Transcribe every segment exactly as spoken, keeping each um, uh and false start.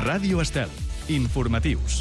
Ràdio Estel. Informatius.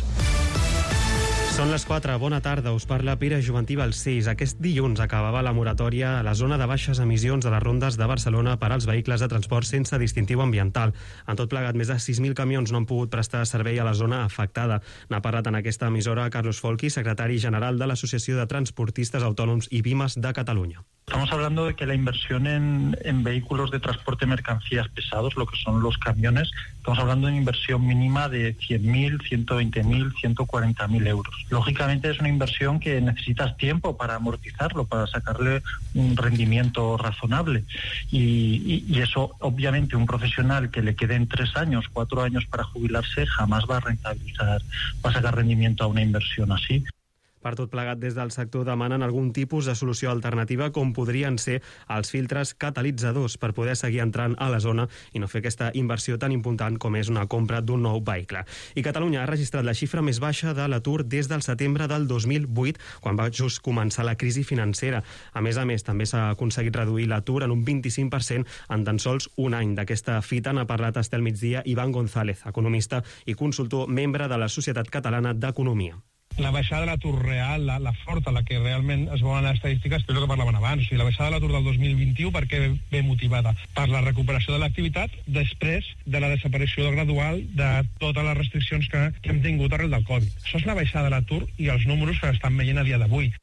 Són les quatre. Bona tarda. Us parla Pere Juventí Balcells. Aquest dilluns acabava la moratòria a la zona de baixes emissions de les rondes de Barcelona per als vehicles de transport sense distintiu ambiental. En tot plegat, més de sis mil camions no han pogut prestar servei a la zona afectada. N'ha parlat en aquesta emissora Carlos Folchi, secretari general de l'Associació de Transportistes Autònoms i Pimes de Catalunya. Estamos hablando de que la inversión en, en vehículos de transporte de mercancías pesados, lo que son los camiones, estamos hablando de una inversión mínima de cien mil, ciento veinte mil, ciento cuarenta mil euros. Lógicamente es una inversión que necesitas tiempo para amortizarlo, para sacarle un rendimiento razonable. Y, y, y eso, obviamente, un profesional que le queden tres años, cuatro años para jubilarse, jamás va a rentabilizar, va a sacar rendimiento a una inversión así. Per tot plegat, des del sector demanen algun tipus de solució alternativa, com podrien ser els filtres catalitzadors per poder seguir entrant a la zona i no fer aquesta inversió tan important com és una compra d'un nou vehicle. I Catalunya ha registrat la xifra més baixa de l'atur des del setembre del dos mil vuit, quan va just començar la crisi financera. A més a més, també s'ha aconseguit reduir l'atur en un vint-i-cinc per cent en tan sols un any. D'aquesta fita n'ha parlat a Estel Migdia Iván González, economista i consultor, membre de la Societat Catalana d'Economia. La baixada de l'atur real, la, la forta, la que realment es veuen les estadístiques, és el que parlaven abans. O sigui, la baixada de l'atur del dos mil vint-i-u, per què ve motivada? Per la recuperació de l'activitat després de la desaparició gradual de totes les restriccions que, que hem tingut arrel del Covid. Això és la baixada de l'atur i els números que estan veient a dia d'avui.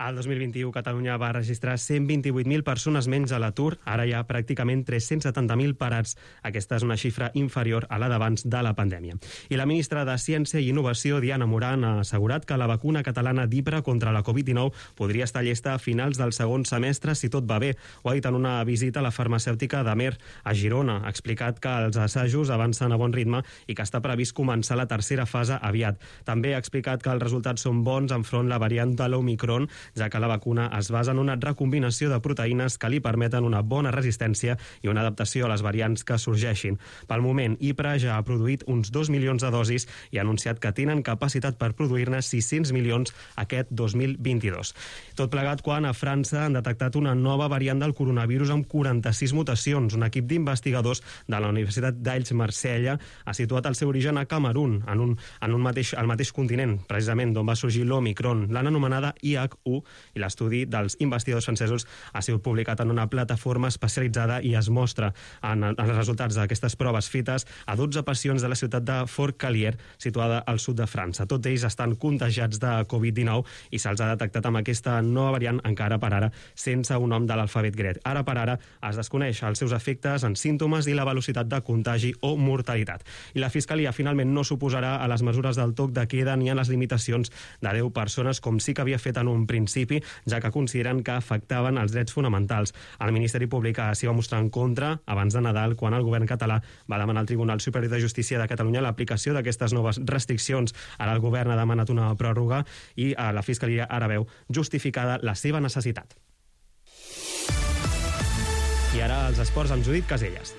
Al dos mil vint-i-u, Catalunya va registrar cent vint-i-vuit mil persones menys a l'atur. Ara hi ha pràcticament tres-cents setanta mil parats. Aquesta és una xifra inferior a la d'abans de la pandèmia. I la ministra de Ciència i Innovació, Diana Morant, ha assegurat que la vacuna catalana d'Hipra contra la covid dinou podria estar llesta a finals del segon semestre si tot va bé. Ho ha dit en una visita a la farmacèutica d'Amer, a Girona. Ha explicat que els assajos avancen a bon ritme i que està previst començar la tercera fase aviat. També ha explicat que els resultats són bons enfront la variant de l'Omicron, ja que la vacuna es basa en una recombinació de proteïnes que li permeten una bona resistència i una adaptació a les variants que sorgeixin. Pel moment, Hipra ja ha produït uns dos milions de dosis i ha anunciat que tenen capacitat per produir-ne sis-cents milions aquest dos mil vint-i-dos. Tot plegat quan a França han detectat una nova variant del coronavirus amb quaranta-sis mutacions. Un equip d'investigadors de la Universitat d'Aix-Marsella ha situat el seu origen a Camerun, en un, en un mateix, al mateix continent, precisament d'on va sorgir l'Omicron. L'han anomenada I H u i l'estudi dels investigadors francesos ha sigut publicat en una plataforma especialitzada i es mostra en, en els resultats d'aquestes proves fetes a dotze pacients de la ciutat de Fort-Calier, situada al sud de França. Tots ells estan contagiats de covid dinou i se'ls ha detectat amb aquesta nova variant, encara per ara sense un nom de l'alfabet grec. Ara per ara es desconeix els seus efectes en símptomes i la velocitat de contagi o mortalitat. I la Fiscalia finalment no s'oposarà a les mesures del toc de queda ni a les limitacions de deu persones, com sí que havia fet en un principi, ja que consideren que afectaven els drets fonamentals. El Ministeri Públic s'hi va mostrar en contra abans de Nadal, quan el govern català va demanar al Tribunal Superior de Justícia de Catalunya l'aplicació d'aquestes noves restriccions. Ara el govern ha demanat una pròrroga i la Fiscalia ara veu justificada la seva necessitat. I ara els esports amb Judit Caselles.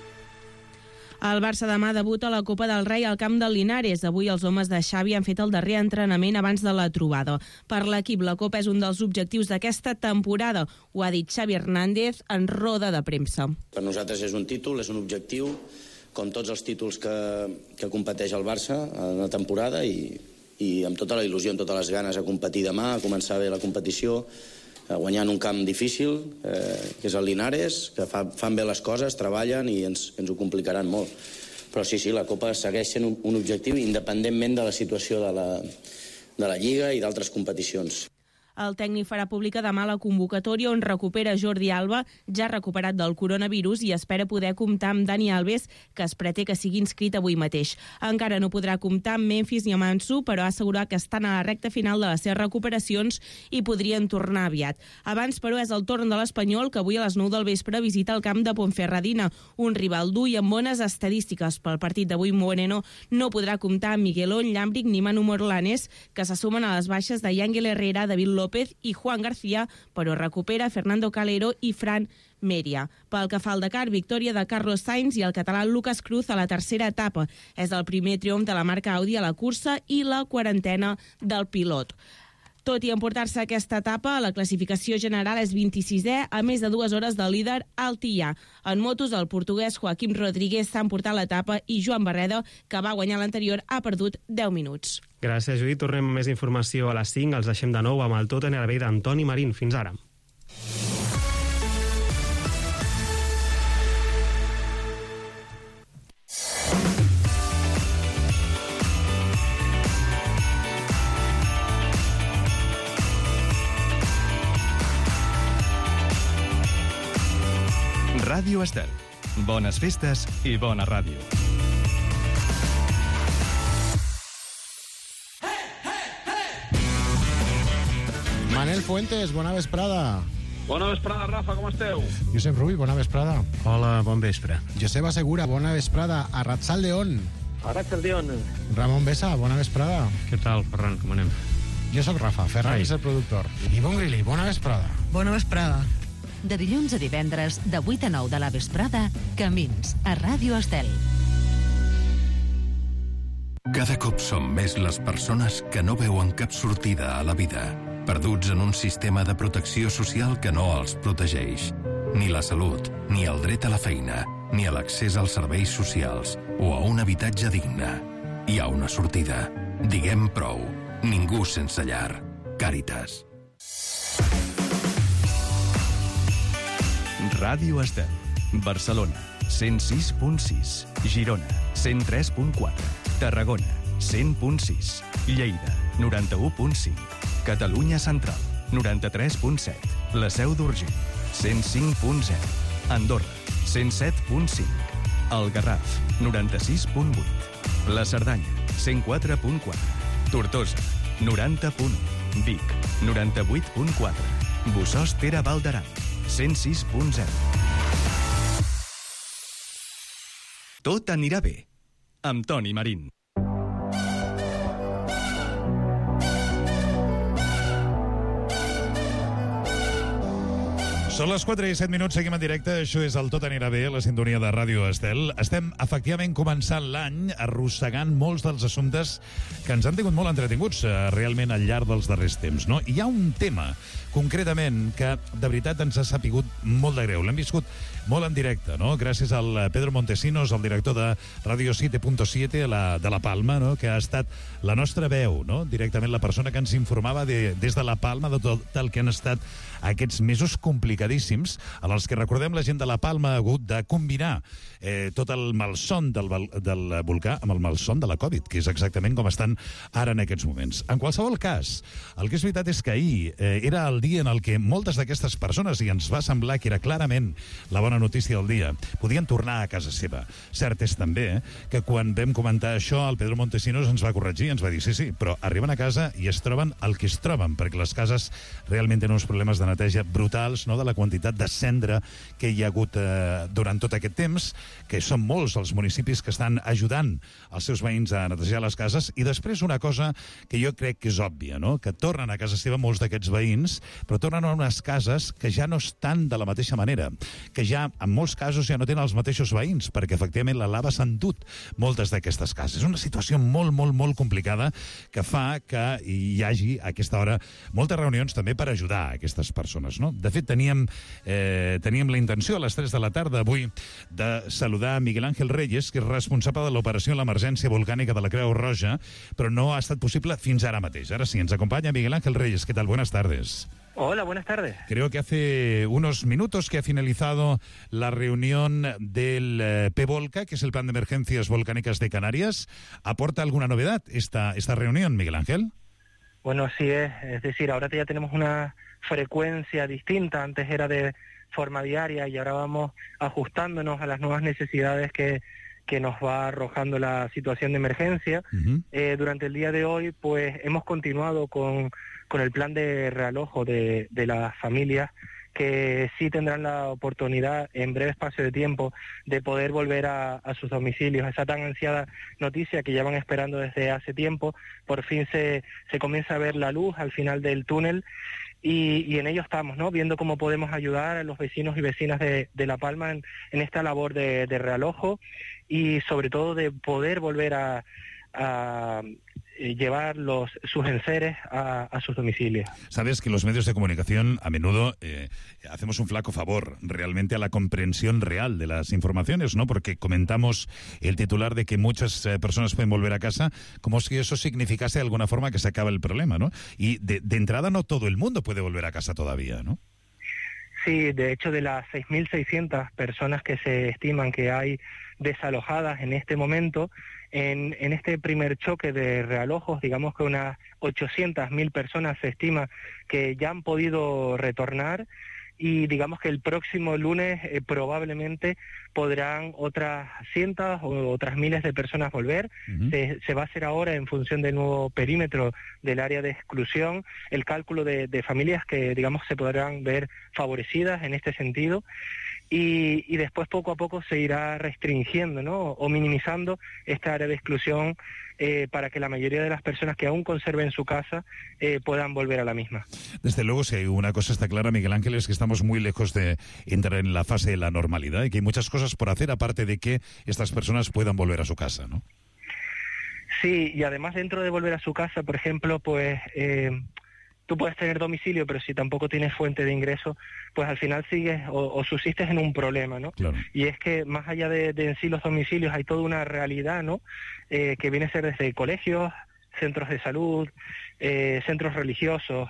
El Barça demà debuta a la Copa del Rei al camp del Linares. Avui els homes de Xavi han fet el darrer entrenament abans de la trobada. Per l'equip, la Copa és un dels objectius d'aquesta temporada. Ho ha dit Xavi Hernández en roda de premsa. Per nosaltres és un títol, és un objectiu, com tots els títols que, que competeix el Barça en la temporada, i, i amb tota la il·lusió, amb totes les ganes a competir demà, a començar bé la competició, guanyant un camp difícil, eh, que és el Linares, que fa, fan bé les coses, treballen i ens, ens ho complicaran molt. Però sí, sí, la Copa segueix sent un, un objectiu independentment de la situació de la, de la Lliga i d'altres competicions. El tècnic farà pública demà la convocatòria on recupera Jordi Alba, ja recuperat del coronavirus, i espera poder comptar amb Dani Alves, que es preté que sigui inscrit avui mateix. Encara no podrà comptar amb Memphis ni amb Ansu, però ha assegurat que estan a la recta final de les seves recuperacions i podrien tornar aviat. Abans, però, és el torn de l'Espanyol, que avui a les nou del vespre visita el camp de Ponferradina, un rival dur i amb bones estadístiques. Pel partit d'avui, Moreno no podrà comptar amb Miguelón, Llàmbric ni Manu Morlanes, que se sumen a les baixes de Yángel Herrera, David López López i Juan García, però recupera Fernando Calero i Fran Mèria. Pel que fa al Dakar, victòria de Carlos Sainz i el català Lucas Cruz a la tercera etapa. És el primer triomf de la marca Audi a la cursa i la quarantena del pilot. Tot i emportar-se aquesta etapa, la classificació general és vint-i-sisè, a més de dues hores del líder Altillà. En motos, el portuguès Joaquim Rodríguez s'ha emportat l'etapa i Joan Barreda, que va guanyar l'anterior, ha perdut deu minuts. Gràcies, Judit. Tornem amb més informació a les cinc. Els deixem de nou amb el Tot en el d'Antoni Marín. Fins ara. Ràdio Estel. Bones festes i bona ràdio. Manel Fuentes, bona vesprada. Bona vesprada, Rafa, com esteu? Josep Rull, bona vesprada. Hola, bon vespre. Joseba Segura, bona vesprada. Arratsaldeon. Arratsaldeon. Ramon Besa, bona vesprada. Què tal, Ferran, com anem? Jo sóc Rafa, Ferran és el productor. I Bon Grilli, bona vesprada. Bona vesprada. De dilluns a divendres, de vuit a nou de la vesprada, Camins, a Ràdio Estel. Cada cop som més les persones que no veuen cap sortida a la vida, perduts en un sistema de protecció social que no els protegeix. Ni la salut, ni el dret a la feina, ni a l'accés als serveis socials o a un habitatge digne. Hi ha una sortida. Diguem prou. Ningú sense llar. Càritas. Ràdio Estel. Barcelona, cent sis punt sis. Girona, cent tres punt quatre. Tarragona, cent punt sis. Lleida, noranta-u punt cinc. Catalunya Central, noranta-tres punt set. La Seu d'Urgell, cent cinc punt zero. Andorra, cent set punt cinc. El Garraf, noranta-sis punt vuit. La Cerdanya, cent quatre punt quatre. Tortosa, noranta punt u. Vic, noranta-vuit punt quatre. Bossòst Tere Val d'Aran, cent sis punt zero. Tot anirà bé, amb Toni Marín. Són les quatre i set minuts, seguim en directe. Això és el Tot anirà bé, la sintonia de Ràdio Estel. Estem, efectivament, començant l'any arrossegant molts dels assumptes que ens han tingut molt entretinguts eh, realment al llarg dels darrers temps, no? Hi ha un tema, concretament, que de veritat ens ha sapigut molt de greu. L'hem viscut molt en directe, no? Gràcies al Pedro Montesinos, el director de Radio siete punto siete la, de La Palma, no? Que ha estat la nostra veu, no? Directament la persona que ens informava de, des de La Palma de tot el que han estat aquests mesos complicadíssims, en els que, recordem, la gent de La Palma ha hagut de combinar eh, tot el malson del, del volcà amb el malson de la Covid, que és exactament com estan ara en aquests moments. En qualsevol cas, el que és veritat és que ahir eh, era el dia en el que moltes d'aquestes persones, i ens va semblar que era clarament la bona notícia del dia, podien tornar a casa seva. Cert és també eh, que quan vam comentar això, el Pedro Montesinos ens va corregir, ens va dir, sí, sí, però arriben a casa i es troben el que es troben, perquè les cases realment tenen uns problemes de neteja brutals, no?, de la quantitat de cendra que hi ha hagut eh, durant tot aquest temps, que són molts els municipis que estan ajudant els seus veïns a netejar les cases. I després una cosa que jo crec que és òbvia, no?, que tornen a casa seva molts d'aquests veïns, però tornen a unes cases que ja no estan de la mateixa manera, que ja en molts casos ja no tenen els mateixos veïns, perquè efectivament la lava s'ha endut moltes d'aquestes cases. És una situació molt, molt, molt complicada que fa que hi hagi a aquesta hora moltes reunions també per ajudar a aquestes persones, no? De fet, teníem, eh, teníem la intenció a les tres de la tarda avui de saludar Miguel Ángel Reyes, que és responsable de l'operació en l'emergència volcànica de la Creu Roja, però no ha estat possible fins ara mateix. Ara sí, ens acompanya Miguel Ángel Reyes. ¿Qué tal? Buenas tardes. Hola, buenas tardes. Creo que hace unos minutos que ha finalizado la reunión del eh, PEVOLCA, que es el Plan de Emergencias Volcánicas de Canarias. ¿Aporta alguna novedad esta, esta reunión, Miguel Ángel? Bueno, así es. Es decir, ahora ya tenemos una frecuencia distinta. Antes era de forma diaria y ahora vamos ajustándonos a las nuevas necesidades que, que nos va arrojando la situación de emergencia. Uh-huh. Eh, durante el día de hoy, pues hemos continuado con, con el plan de realojo de, de las familias, que sí tendrán la oportunidad en breve espacio de tiempo de poder volver a, a sus domicilios. Esa tan ansiada noticia que llevan esperando desde hace tiempo, por fin se, se comienza a ver la luz al final del túnel. Y, y en ello estamos, ¿no?, viendo cómo podemos ayudar a los vecinos y vecinas de, de La Palma en, en esta labor de, de realojo y sobre todo de poder volver a, a eh, llevar los, sus enseres a, a sus domicilios. Sabes que los medios de comunicación a menudo eh, hacemos un flaco favor realmente a la comprensión real de las informaciones, ¿no? Porque comentamos el titular de que muchas eh, personas pueden volver a casa como si eso significase de alguna forma que se acaba el problema, ¿no? Y de, de entrada no todo el mundo puede volver a casa todavía, ¿no? Sí, de hecho, de las seis mil seiscientas personas que se estiman que hay desalojadas en este momento, en, en este primer choque de realojos, digamos que unas ochocientas mil personas se estima que ya han podido retornar, y digamos que el próximo lunes eh, probablemente podrán otras cientos o otras miles de personas volver. Uh-huh. Se, se va a hacer ahora, en función del nuevo perímetro del área de exclusión, el cálculo de, de familias que, digamos, se podrán ver favorecidas en este sentido. Y, y después poco a poco se irá restringiendo, ¿no? O minimizando esta área de exclusión eh, para que la mayoría de las personas que aún conserven su casa eh, puedan volver a la misma. Desde luego, si una cosa está clara, Miguel Ángel, es que estamos muy lejos de entrar en la fase de la normalidad y que hay muchas cosas por hacer aparte de que estas personas puedan volver a su casa, ¿no? Sí, y además dentro de volver a su casa, por ejemplo, pues... Eh, tú puedes tener domicilio, pero si tampoco tienes fuente de ingreso, pues al final sigues o, o subsistes en un problema, ¿no? Claro. Y es que más allá de, de en sí los domicilios hay toda una realidad, ¿no? Eh, que viene a ser desde colegios, centros de salud, eh, centros religiosos,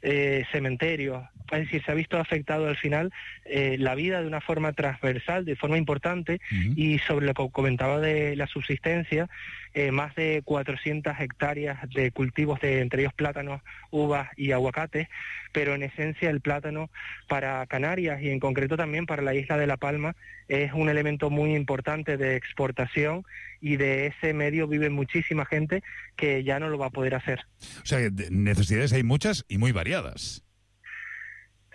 eh, cementerios. Es decir, se ha visto afectado al final eh, la vida de una forma transversal, de forma importante, uh-huh. Y sobre lo que comentaba de la subsistencia, eh, más de cuatrocientas hectáreas de cultivos, de entre ellos plátanos, uvas y aguacates, pero en esencia el plátano para Canarias y en concreto también para la isla de La Palma es un elemento muy importante de exportación, y de ese medio vive muchísima gente que ya no lo va a poder hacer. O sea, necesidades hay muchas y muy variadas.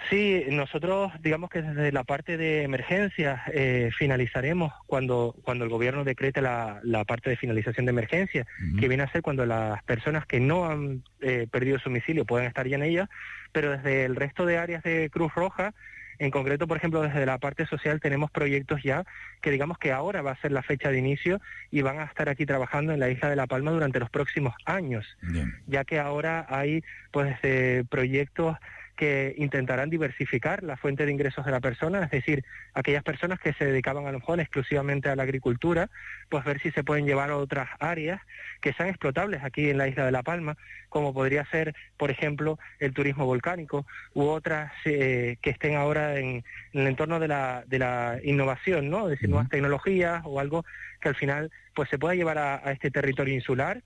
Sí, nosotros digamos que desde la parte de emergencias eh, finalizaremos cuando cuando el gobierno decrete la, la parte de finalización de emergencia, uh-huh. que viene a ser cuando las personas que no han eh, perdido su domicilio puedan estar ya en ella, pero desde el resto de áreas de Cruz Roja, en concreto, por ejemplo, desde la parte social tenemos proyectos ya que digamos que ahora va a ser la fecha de inicio y van a estar aquí trabajando en la isla de La Palma durante los próximos años, Bien. ya que ahora hay pues eh, proyectos que intentarán diversificar la fuente de ingresos de la persona, es decir, aquellas personas que se dedicaban a lo mejor exclusivamente a la agricultura, pues ver si se pueden llevar a otras áreas que sean explotables aquí en la isla de La Palma, como podría ser, por ejemplo, el turismo volcánico, u otras eh, que estén ahora en, en el entorno de la, de la innovación, ¿no? Es decir, uh-huh. nuevas tecnologías o algo que al final pues se pueda llevar a, a este territorio insular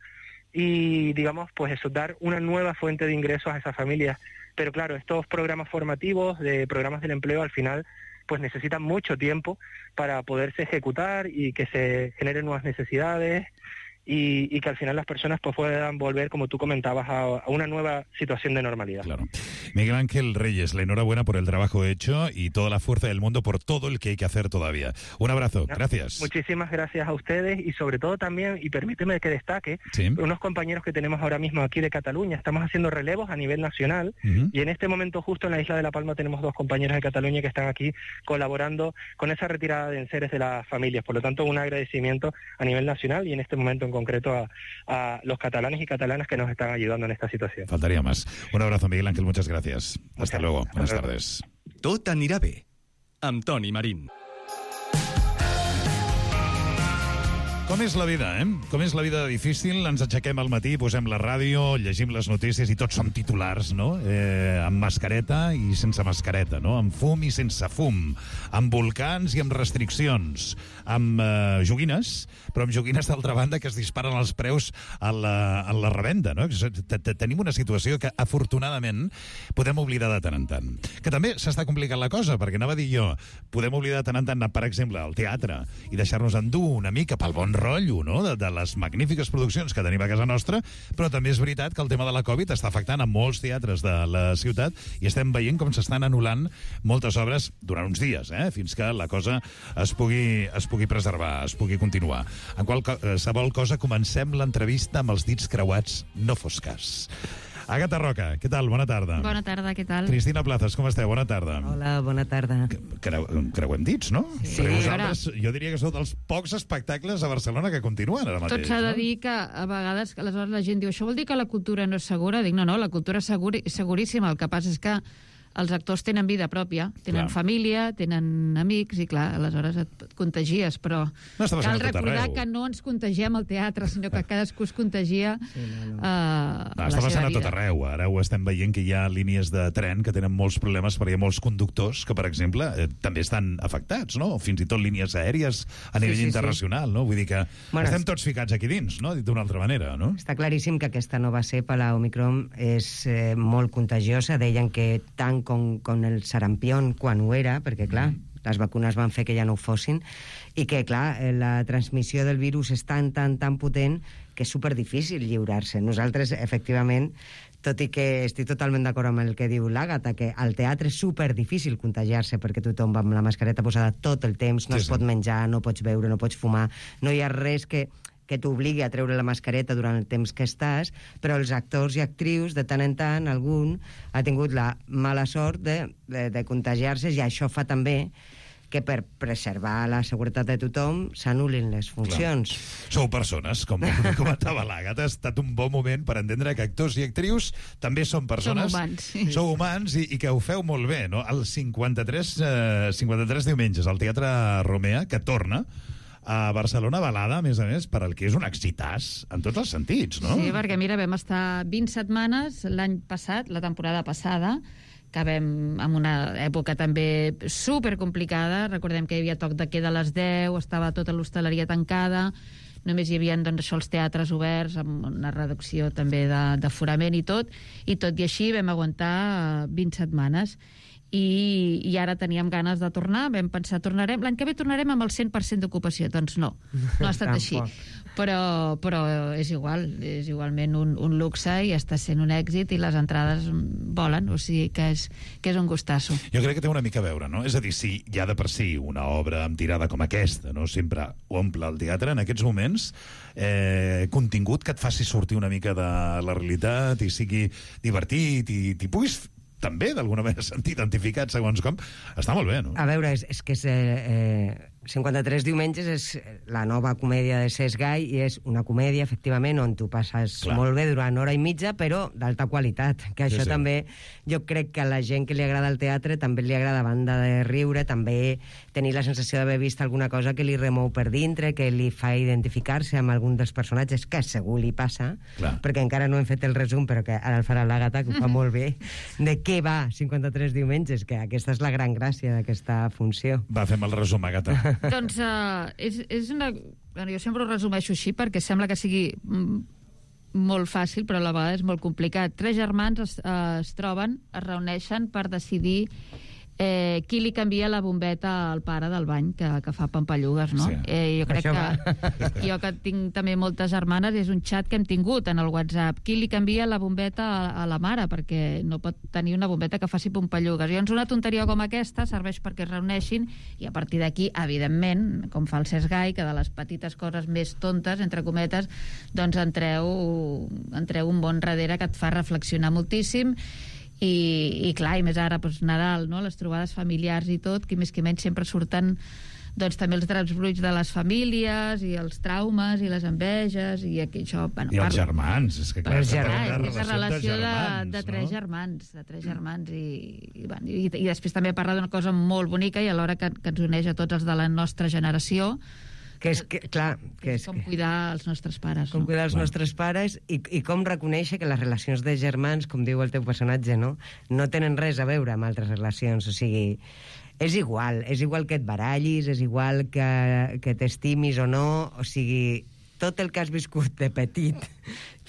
y, digamos, pues eso, dar una nueva fuente de ingresos a esas familias. Pero claro, estos programas formativos, de programas del empleo, al final pues necesitan mucho tiempo para poderse ejecutar y que se generen nuevas necesidades y, y que al final las personas pues puedan volver, como tú comentabas, a, a una nueva situación de normalidad. Claro. Miguel Ángel Reyes, la enhorabuena por el trabajo hecho y toda la fuerza del mundo por todo el que hay que hacer todavía. Un abrazo, gracias. Muchísimas gracias a ustedes y sobre todo también, y permíteme que destaque, ¿Sí? unos compañeros que tenemos ahora mismo aquí de Cataluña. Estamos haciendo relevos a nivel nacional uh-huh. y en este momento justo en la isla de La Palma tenemos dos compañeros de Cataluña que están aquí colaborando con esa retirada de enseres de las familias. Por lo tanto, un agradecimiento a nivel nacional y en este momento en concreto a, a los catalanes y catalanas que nos están ayudando en esta situación. Faltaría más. Un abrazo, Miguel Ángel, muchas gracias. Hasta okay. luego. Buenas Hasta tardes. Tot anirà bé. Amb Toni Marín. Com és la vida, eh? Com és la vida difícil? Ens aixequem al matí, posem la ràdio, llegim les notícies i tots som titulars, no? Eh, amb mascareta i sense mascareta, no? Amb fum i sense fum, amb volcans i amb restriccions, amb eh, joguines, però amb joguines d'altra banda que es disparen els preus a la, a la revenda, no? Tenim una situació que, afortunadament, podem oblidar de tant en tant. Que també s'està complicant la cosa, perquè anava a dir jo, podem oblidar de tant en tant anar, per exemple, al teatre i deixar-nos endur una mica pel bon rotllo, no?, de, de les magnífiques produccions que tenim a casa nostra, però també és veritat que el tema de la Covid està afectant a molts teatres de la ciutat i estem veient com s'estan anul·lant moltes obres durant uns dies, eh?, fins que la cosa es pugui, es pugui preservar, es pugui continuar. En qualsevol cosa, comencem l'entrevista amb els dits creuats, no fos cas. Àgata Roca, què tal? Bona tarda. Bona tarda, què tal? Cristina Plazas, com esteu? Bona tarda. Hola, bona tarda. Creu, creuem dits, no? Sí. Perquè vosaltres, jo diria que sou dels pocs espectacles a Barcelona que continuen ara mateix. Tot s'ha de no? dir que a vegades, aleshores la gent diu, això vol dir que la cultura no és segura? Dic, no, no, la cultura és seguri, seguríssima. El que passa és que els actors tenen vida pròpia, tenen clar. família, tenen amics, i clar, aleshores et contagies, però no cal recordar que no ens contagiem al teatre, sinó que cadascú es contagia sí, no, no. Uh, no, a està la passant seva a tot vida. arreu. Ara ho estem veient que hi ha línies de tren que tenen molts problemes perquè hi ha molts conductors que, per exemple, eh, també estan afectats, no? Fins i tot línies aèries a nivell sí, sí, internacional, sí. no? Vull dir que bueno, estem tots ficats aquí dins, no? Dit d'una altra manera, no? Està claríssim que aquesta nova cepa, la Omicron, és eh, molt contagiosa. Deien que tant com, com el sarampión quan ho era, perquè, clar, mm. les vacunes van fer que ja no ho fossin, i que, clar, la transmissió del virus és tan, tan, tan potent que és superdifícil lliurar-se. Nosaltres, efectivament, tot i que estic totalment d'acord amb el que diu l'Àgata, que al teatre és superdifícil contagiar-se perquè tothom va amb la mascareta posada tot el temps, no sí, es pot sí. menjar, no pots beure, no pots fumar, no hi ha res que... que t'obligui a treure la mascareta durant el temps que estàs, però els actors i actrius, de tant en tant, algun ha tingut la mala sort de, de, de contagiar-se, i això fa també que per preservar la seguretat de tothom s'anul·lin les funcions. Clar. Sou persones, com comentava l'Àgata, ha estat un bon moment per entendre que actors i actrius també són persones. Som humans. Sí. Sou humans i, i que ho feu molt bé, no? El cinquanta-tres, eh, cinquanta-tres diumenges al Teatre Romea, que torna a Barcelona, balada, a més a més, per al que és un excitàs en tots els sentits, no? Sí, perquè, mira, vam estar vint setmanes l'any passat, la temporada passada, que vam en una època també supercomplicada. Recordem que hi havia toc de queda a les deu, estava tota l'hostaleria tancada, només hi havia doncs, això, els teatres oberts, amb una reducció també d'aforament i tot, i tot i així vam aguantar vint setmanes. I, i ara teníem ganes de tornar, vam pensar, tornarem l'any que ve tornarem amb el cent per cent d'ocupació. Doncs no, no ha estat així, però, però és igual, és igualment un, un luxe i està sent un èxit i les entrades volen, o sigui que és, que és un gustasso. Jo crec que té una mica a veure, no? És a dir, si ja de per si una obra amb tirada com aquesta, no? Sempre omple el teatre, en aquests moments eh, contingut que et faci sortir una mica de la realitat i sigui divertit i t'hi puguis també, d'alguna manera, sentir identificat segons com, està molt bé, no? A veure, és, és que és, eh, cinquanta-tres diumenges és la nova comèdia de Cesc Gai i és una comèdia, efectivament, on tu passes Clar. molt bé durant hora i mitja, però d'alta qualitat, que això sí, sí. també jo crec que a la gent que li agrada el teatre també li agrada, a banda de riure, també tenir la sensació d'haver vist alguna cosa que li remou per dintre, que li fa identificar-se amb algun dels personatges, que segur li passa, Clar. perquè encara no hem fet el resum, però que ara el farà l'Àgata, que ho fa molt bé, de què va cinquanta-tres diumenges, que aquesta és la gran gràcia d'aquesta funció. Va, fem el resum, Àgata. Doncs uh, és, és una... Bueno, jo sempre ho resumeixo així perquè sembla que sigui mm, molt fàcil, però a la vegada és molt complicat. Tres germans es, uh, es troben, es reuneixen per decidir eh, qui li canvia la bombeta al pare del bany, que, que fa pampallugues, no? Sí. Eh, jo crec Això que... Jo que tinc també moltes germanes, és un xat que hem tingut en el WhatsApp. Qui li canvia la bombeta a, a la mare? Perquè no pot tenir una bombeta que faci pampallugues. Llavors, una tonteria com aquesta serveix perquè es reuneixin i a partir d'aquí, evidentment, com fa el Cesc Gai, que de les petites coses més tontes, entre cometes, doncs entreu, entreu un bon darrere que et fa reflexionar moltíssim. I, i clar, i més ara, doncs, Nadal, no? Les trobades familiars i tot, que més que menys sempre surten doncs també els draps bruts de les famílies i els traumes i les enveges i aquí això... Bueno, I els parlo... germans, és que clar, és clar, és la relació de, germans, de tres no? germans, de tres germans i, i, bueno, i, i després també parla d'una cosa molt bonica i alhora que, que ens uneix a tots els de la nostra generació, que és que, clar, que és com cuidar els nostres pares. Com no? cuidar els bueno. nostres pares i, i com reconèixer que les relacions de germans, com diu el teu personatge, no, no tenen res a veure amb altres relacions. O sigui, és igual, és igual que et barallis, és igual que, que t'estimis o no, o sigui, tot el que has viscut de petit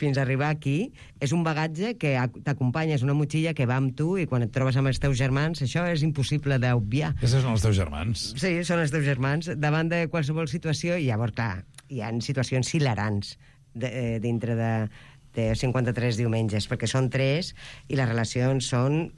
fins a arribar aquí és un bagatge que t'acompanya, és una motxilla que va amb tu i quan et trobes amb els teus germans això és impossible d'obviar. Aquests són els teus germans. Sí, són els teus germans. Davant de qualsevol situació, i llavors, clar, hi ha situacions hilarants de, de, dintre de, de cinquanta-tres diumenges, perquè són tres i les relacions són...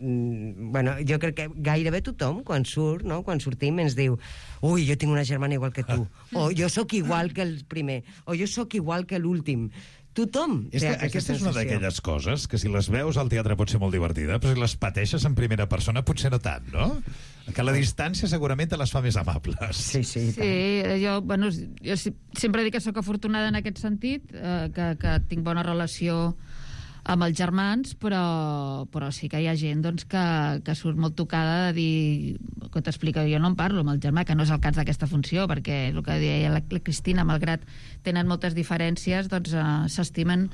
Bueno, jo crec que gairebé tothom, quan surt, no? Quan sortim, ens diu ui, jo tinc una germana igual que tu, o jo sóc igual que el primer, o jo sóc igual que l'últim. Tothom és té que aquesta aquesta és una sensació. d'aquelles coses que si les veus al teatre pot ser molt divertida, però si les pateixes en primera persona potser no tant, no? Que la distància segurament te les fa més amables. Sí, sí. Sí, jo, bueno, jo sempre dic que sóc afortunada en aquest sentit, eh, que, que tinc bona relació amb els germans, però, però sí que hi ha gent doncs, que, que surt molt tocada de dir, que t'explica, jo no en parlo amb el germà, que no és el cas d'aquesta funció, perquè el que deia la, la Cristina, malgrat tenen moltes diferències, doncs eh, s'estimen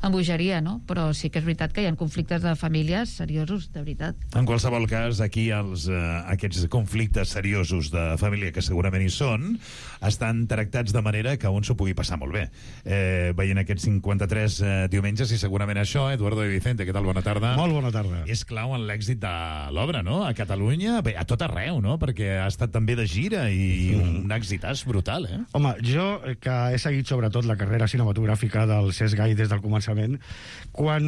amb bogeria, no? Però sí que és veritat que hi ha conflictes de famílies seriosos, de veritat. En qualsevol cas, aquí els, eh, aquests conflictes seriosos de família, que segurament hi són, estan tractats de manera que un s'ho pugui passar molt bé. Eh, veient aquests cinquanta-tres eh, diumenges, i segurament això, Eduardo de Vicente, què tal? Bona tarda. Molt bona tarda. És clau en l'èxit de l'obra, no? A Catalunya, bé, a tot arreu, no? Perquè ha estat també de gira i mm. un èxitàs brutal, eh? Home, jo, que he seguit sobretot la carrera cinematogràfica del Cesc Gai des del començament, quan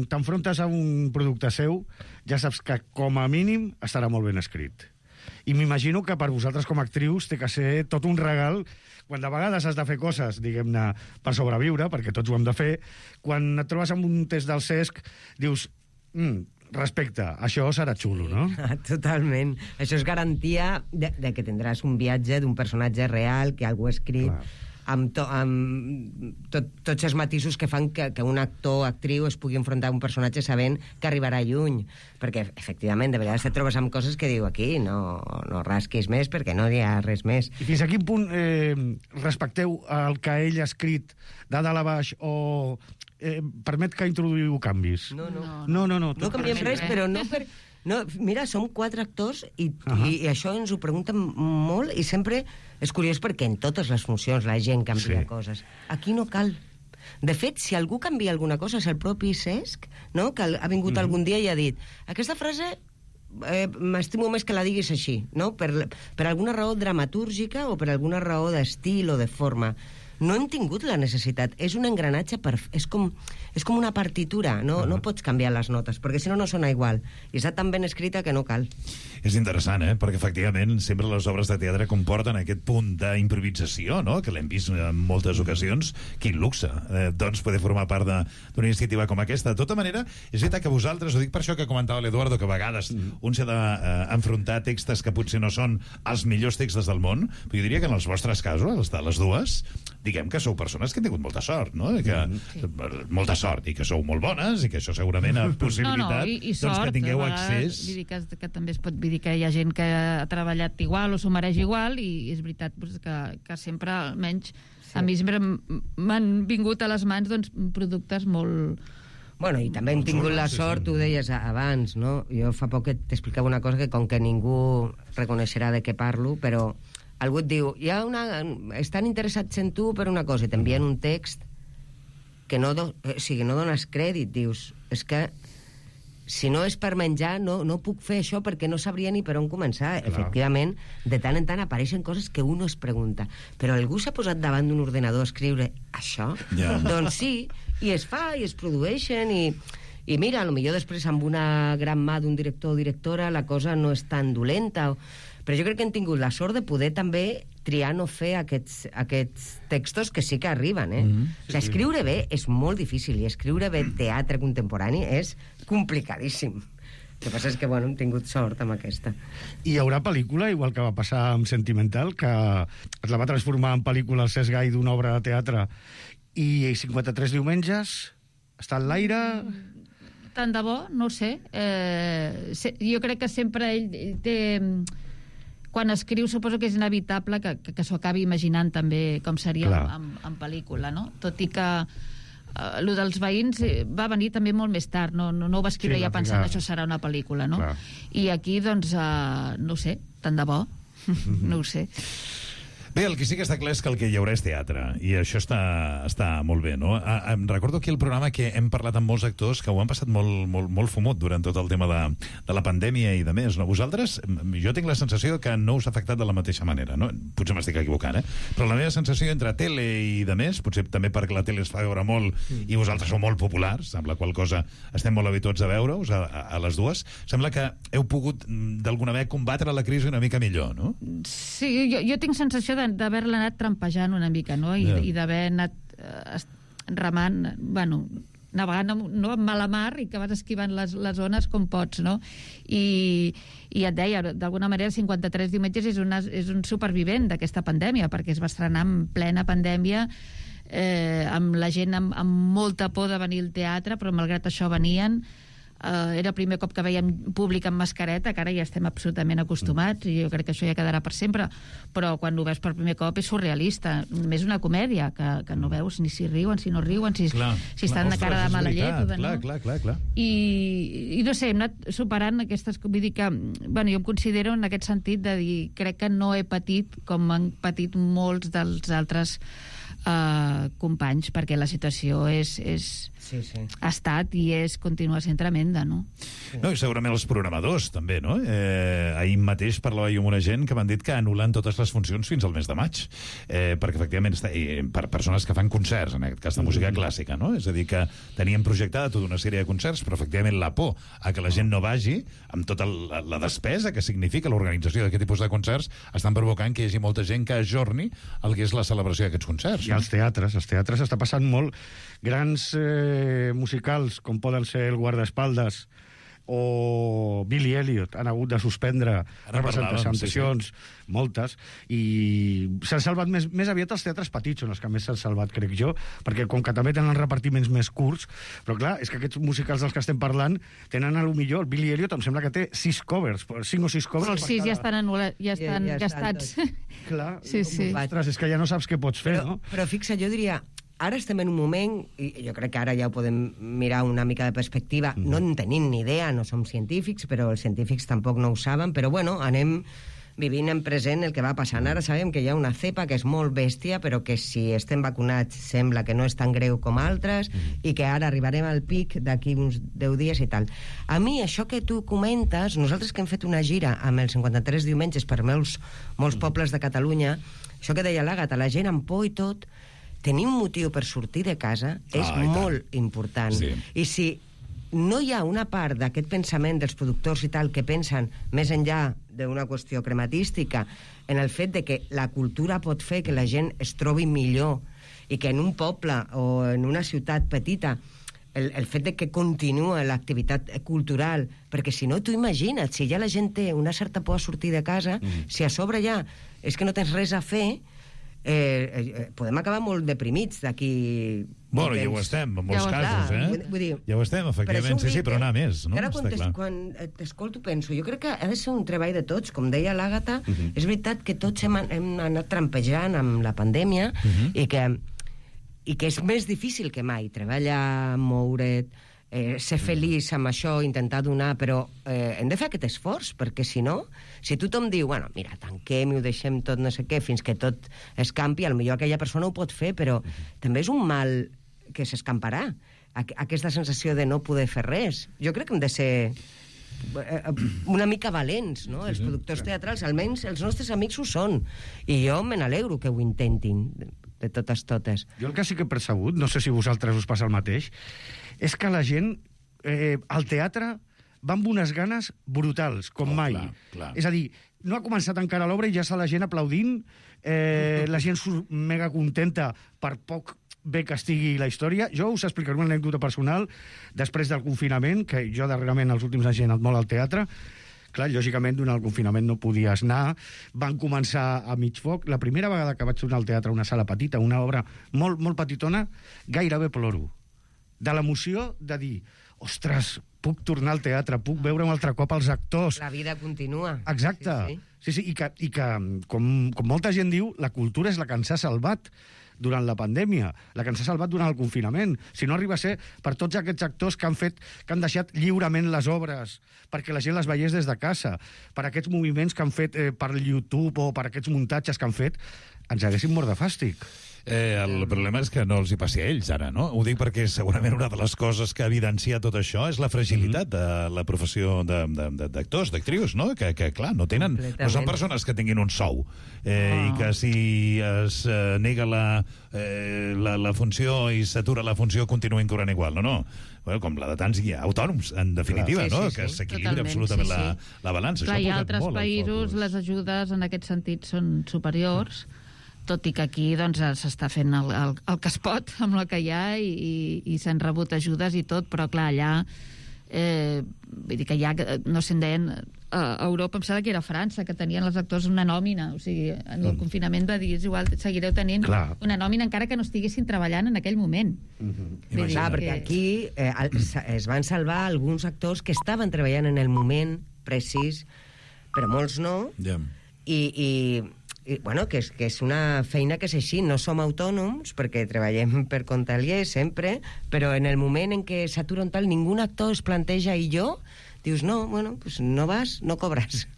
t'enfrontes a un producte seu, ja saps que com a mínim estarà molt ben escrit. I m'imagino que per vosaltres com a actrius té que ser tot un regal quan de vegades has de fer coses, diguem-ne, per sobreviure, perquè tots ho hem de fer. Quan et trobes amb un test del Cesc, dius, mm, respecte, això serà xulo, no? Totalment. Això és garantia de, de que tindràs un viatge d'un personatge real, que algú ha escrit... Clar. amb, to, amb tot, tots els matisos que fan que, que un actor o actriu es pugui enfrontar a un personatge sabent que arribarà lluny, perquè efectivament de vegades te trobes amb coses que diu aquí no, no rasquis més perquè no hi ha res més. I fins a quin punt eh, respecteu el que ell ha escrit de dalt a baix o eh, permet que introduïu canvis? No, no. No, no, no, no canviem res, però no per... No, mira, som quatre actors i, uh -huh. i, i això ens ho pregunten molt i sempre és curiós perquè en totes les funcions la gent canvia sí. coses. Aquí no cal. De fet, si algú canvia alguna cosa és el propi Cesc, no? Que ha vingut uh -huh. algun dia i ha dit aquesta frase eh, m'estimo més que la diguis així, no? Per, per alguna raó dramatúrgica o per alguna raó d'estil o de forma. No hem tingut la necessitat. És un engranatge, per... és, com, és com una partitura. No, uh-huh. no pots canviar les notes, perquè si no, no sona igual. I està tan ben escrita que no cal. És interessant, eh? Perquè efectivament sempre les obres de teatre comporten aquest punt d'improvisació, no? Que l'hem vist en moltes ocasions. Quin luxe, eh, doncs, poder formar part d'una iniciativa com aquesta. De tota manera, és veritat que vosaltres, ho dic per això que comentava l'Eduardo, que a vegades uh-huh. un s'ha d'enfrontar a textos que potser no són els millors textos del món, però jo diria que en els vostres casos, els de les dues, diguem que sou persones que han tingut molta sort, no? I que, sí. molta sort, i que sou molt bones, i que això segurament ha possibilitat no, no, i, i sort, doncs, que tingueu accés... Vull dir que, que també es pot dir que hi ha gent que ha treballat igual o s'ho mereix igual, i és veritat doncs, que, que sempre, almenys, sí. a mi sempre m'han vingut a les mans doncs, productes molt... Bueno, i també hem tingut la sort, ho deies abans, no? Jo fa poc t'explicava una cosa que com que ningú reconeixerà de què parlo, però algú et diu, hi ha una... estan interessats en tu per una cosa, i t'envien un text que no, do... o sigui, no dones crèdit, dius, és que si no és per menjar, no, no puc fer això perquè no sabria ni per on començar. Clar. Efectivament, de tant en tant apareixen coses que un es pregunta, però algú s'ha posat davant d'un ordenador a escriure això? Yeah. Doncs sí, i es fa, i es produeixen, i, i mira, potser després amb una gran mà d'un director o directora la cosa no és tan dolenta, o... però jo crec que hem tingut la sort de poder també triar no fer aquests, aquests textos que sí que arriben, eh? Mm-hmm. Sí, o sigui, escriure bé és molt difícil, i escriure bé teatre contemporani és complicadíssim. El que passa és que, bueno, hem tingut sort amb aquesta. I hi haurà pel·lícula, igual que va passar amb Sentimental, que es la va transformar en pel·lícula el Cesc Gai d'una obra de teatre, i cinquanta-tres diumenges està en l'aire... Tant de bo, no ho sé. Eh, jo crec que sempre ell, ell té... Quan escriu suposo que és inevitable que, que, que s'ho acabi imaginant també com seria en, en pel·lícula, no? Tot i que eh, lo dels veïns va venir també molt més tard, no, no, no ho va escriure sí, ja pensant que això serà una pel·lícula, no? Clar. I aquí, doncs, eh, no ho sé, tant de bo, mm-hmm. no ho sé. Bé, el que sí que està clar és que el que hi haurà és teatre, i això està, està molt bé, no? A, em recordo aquí el programa que hem parlat amb molts actors que ho han passat molt, molt, molt fumut durant tot el tema de, de la pandèmia i de més, no? Vosaltres, jo tinc la sensació que no us ha afectat de la mateixa manera, no? Potser m'estic equivocant, eh? Però la meva sensació entre tele i de més, potser també perquè la tele es fa veure molt i vosaltres sou molt populars, amb la qual cosa estem molt habituats a veure-us, a, a, a les dues, sembla que heu pogut d'alguna manera combatre la crisi una mica millor, no? Sí, jo, jo tinc sensació de d'haver-la anat trampejant una mica, no? I, yeah. i d'haver anat eh, remant, bueno, navegant no amb mala mar i que vas esquivant les, les ones com pots, no? I, i et deia, d'alguna manera, cinquanta-tres diumenges és, una, és un supervivent d'aquesta pandèmia, perquè es va estrenar en plena pandèmia, eh, amb la gent amb, amb molta por de venir al teatre, però malgrat això venien. Uh, era el primer cop que veiem públic amb mascareta, que ara ja estem absolutament acostumats, i jo crec que això ja quedarà per sempre, però quan ho veus per primer cop és surrealista, més una comèdia, que, que no veus ni si riuen, si no riuen, si, clar, si estan clar, de cara de mala llet o de no. Clar, clar, clar, clar. I, i no sé, hem anat superant aquestes... Vull dir que, bueno, jo em considero en aquest sentit de dir, crec que no he patit com han patit molts dels altres Uh, companys, perquè la situació és, és sí, sí. ha estat i és continua sent tremenda, no? No, i segurament els programadors també, no? Eh, ahir mateix parlava jo amb una gent que m'han dit que anulen totes les funcions fins al mes de maig, eh, perquè efectivament està, eh, per persones que fan concerts, en aquest cas de música clàssica, no? És a dir, que tenien projectada tota una sèrie de concerts, però efectivament la por a que la gent no vagi, amb tota la, la despesa que significa l'organització d'aquest tipus de concerts, estan provocant que hi hagi molta gent que ajorni el que és la celebració d'aquests concerts. I als teatres, als teatres està passant molt. Grans eh, musicals, com poden ser el Guardaespaldes o Billy Elliot, han hagut de suspendre representacions, sí, sí. moltes, i s'han salvat més, més aviat els teatres petits, són els que més s'han salvat, crec jo, perquè com que també tenen repartiments més curts, però clar, és que aquests musicals dels que estem parlant tenen a lo millor, Billy Elliot em sembla que té sis covers, cinc o sis covers. Els sis ja estan, anul·la, ja estan ja, ja gastats. Clar, sí, sí. Ostres, és que ja no saps què pots fer, però, no? Però fixa, jo diria... Ara estem en un moment, i jo crec que ara ja ho podem mirar una mica de perspectiva, mm. no en tenim ni idea, no som científics, però els científics tampoc no ho saben, però bueno, anem vivint en present el que va passant. Ara sabem que hi ha una cepa que és molt bèstia, però que si estem vacunats sembla que no és tan greu com altres, mm. i que ara arribarem al pic d'aquí uns deu dies i tal. A mi, això que tu comentes, nosaltres que hem fet una gira amb els cinquanta-tres diumenges per molts, molts mm. pobles de Catalunya, això que deia l'Àgata, la gent amb por i tot, tenir un motiu per sortir de casa és ah, molt important. Sí. I si no hi ha una part d'aquest pensament dels productors i tal que pensen més enllà d'una qüestió crematística en el fet de que la cultura pot fer que la gent es trobi millor i que en un poble o en una ciutat petita el, el fet de que continua l'activitat cultural, perquè si no, tu imagina't, si ja la gent té una certa por a sortir de casa, mm. si a sobre ja és que no tens res a fer, Eh, eh, podem acabar molt deprimits d'aquí... Bueno, ja ho estem, en molts ja casos, eh? Vull, vull dir, ja ho estem, efectivament, sí, sí, però anar més, no? Ara, quan, quan t'escolto, penso, jo crec que ha de ser un treball de tots, com deia l'Àgata, uh -huh. és veritat que tots hem, hem anat trampejant amb la pandèmia, uh -huh. i, que, i que és més difícil que mai, treballar, moure't, Eh, ser feliç amb això, intentar donar, però eh, hem de fer aquest esforç, perquè si no, si tothom diu, bueno, mira, tanquem i ho deixem tot no sé què, fins que tot escampi, potser aquella persona ho pot fer, però uh-huh. també és un mal que s'escamparà, Aqu aquesta sensació de no poder fer res. Jo crec que hem de ser una mica valents, no? Sí, els productors teatrals, almenys els nostres amics ho són, i jo me n'alegro que ho intentin, de, de totes totes. Jo el que sí que he percebut, no sé si vosaltres us passa el mateix, és que la gent eh, al teatre va amb unes ganes brutals, com oh, mai. Clar, clar. És a dir, no ha començat encara l'obra i ja està la gent aplaudint, eh, la gent surt mega contenta per poc bé que estigui la història. Jo us explicaré una anècdota personal després del confinament, que jo darrerament els últims anys he anat molt al teatre. Clar, lògicament, durant el confinament no podies anar. Van començar a mig foc. La primera vegada que vaig tornar al teatre, una sala petita, una obra molt, molt petitona, gairebé ploro. De l'emoció de dir, ostres, puc tornar al teatre, puc veure un altre cop els actors. La vida continua. Exacte. Sí, sí. sí, sí. I que, i que com, com molta gent diu, la cultura és la que ens ha salvat durant la pandèmia, la que ens ha salvat durant el confinament. Si no arriba a ser per tots aquests actors que han fet, que han deixat lliurement les obres, perquè la gent les veiés des de casa, per aquests moviments que han fet eh, per YouTube o per aquests muntatges que han fet, ens haguéssim mort de fàstic. Eh, el problema és que no els hi passi a ells, ara, no? Ho dic perquè segurament una de les coses que evidencia tot això és la fragilitat de la professió d'actors, d'actrius, no? Que, que, clar, no tenen... No són persones que tinguin un sou eh, oh. i que si es eh, nega la, eh, la, la funció i s'atura la funció continuïn cobrant igual, no, no. Bueno, com la de tants autònoms, en definitiva, sí, no? Sí, sí. Que s'equilibra absolutament sí, sí. La, la balança. Clar, hi ha altres països, les ajudes en aquest sentit són superiors, tot i que aquí doncs, s'està fent el, el, el que es pot amb el que hi ha i, i, i s'han rebut ajudes i tot, però clar, allà eh, vull dir que ja, no se'n deien a Europa, em sembla que era França, que tenien els actors una nòmina, o sigui, en el mm. confinament va dir, és igual, seguireu tenint Clar. una nòmina encara que no estiguessin treballant en aquell moment. Mm-hmm. Dir, Clar, perquè que... aquí eh, es van salvar alguns actors que estaven treballant en el moment precís, però molts no, yeah. i, i, i bueno, que és, que és una feina que és així, no som autònoms, perquè treballem per compte aliè sempre, però en el moment en què s'atura un tal, ningú actor es planteja, i jo dius, no, bueno, pues no vas, no cobres.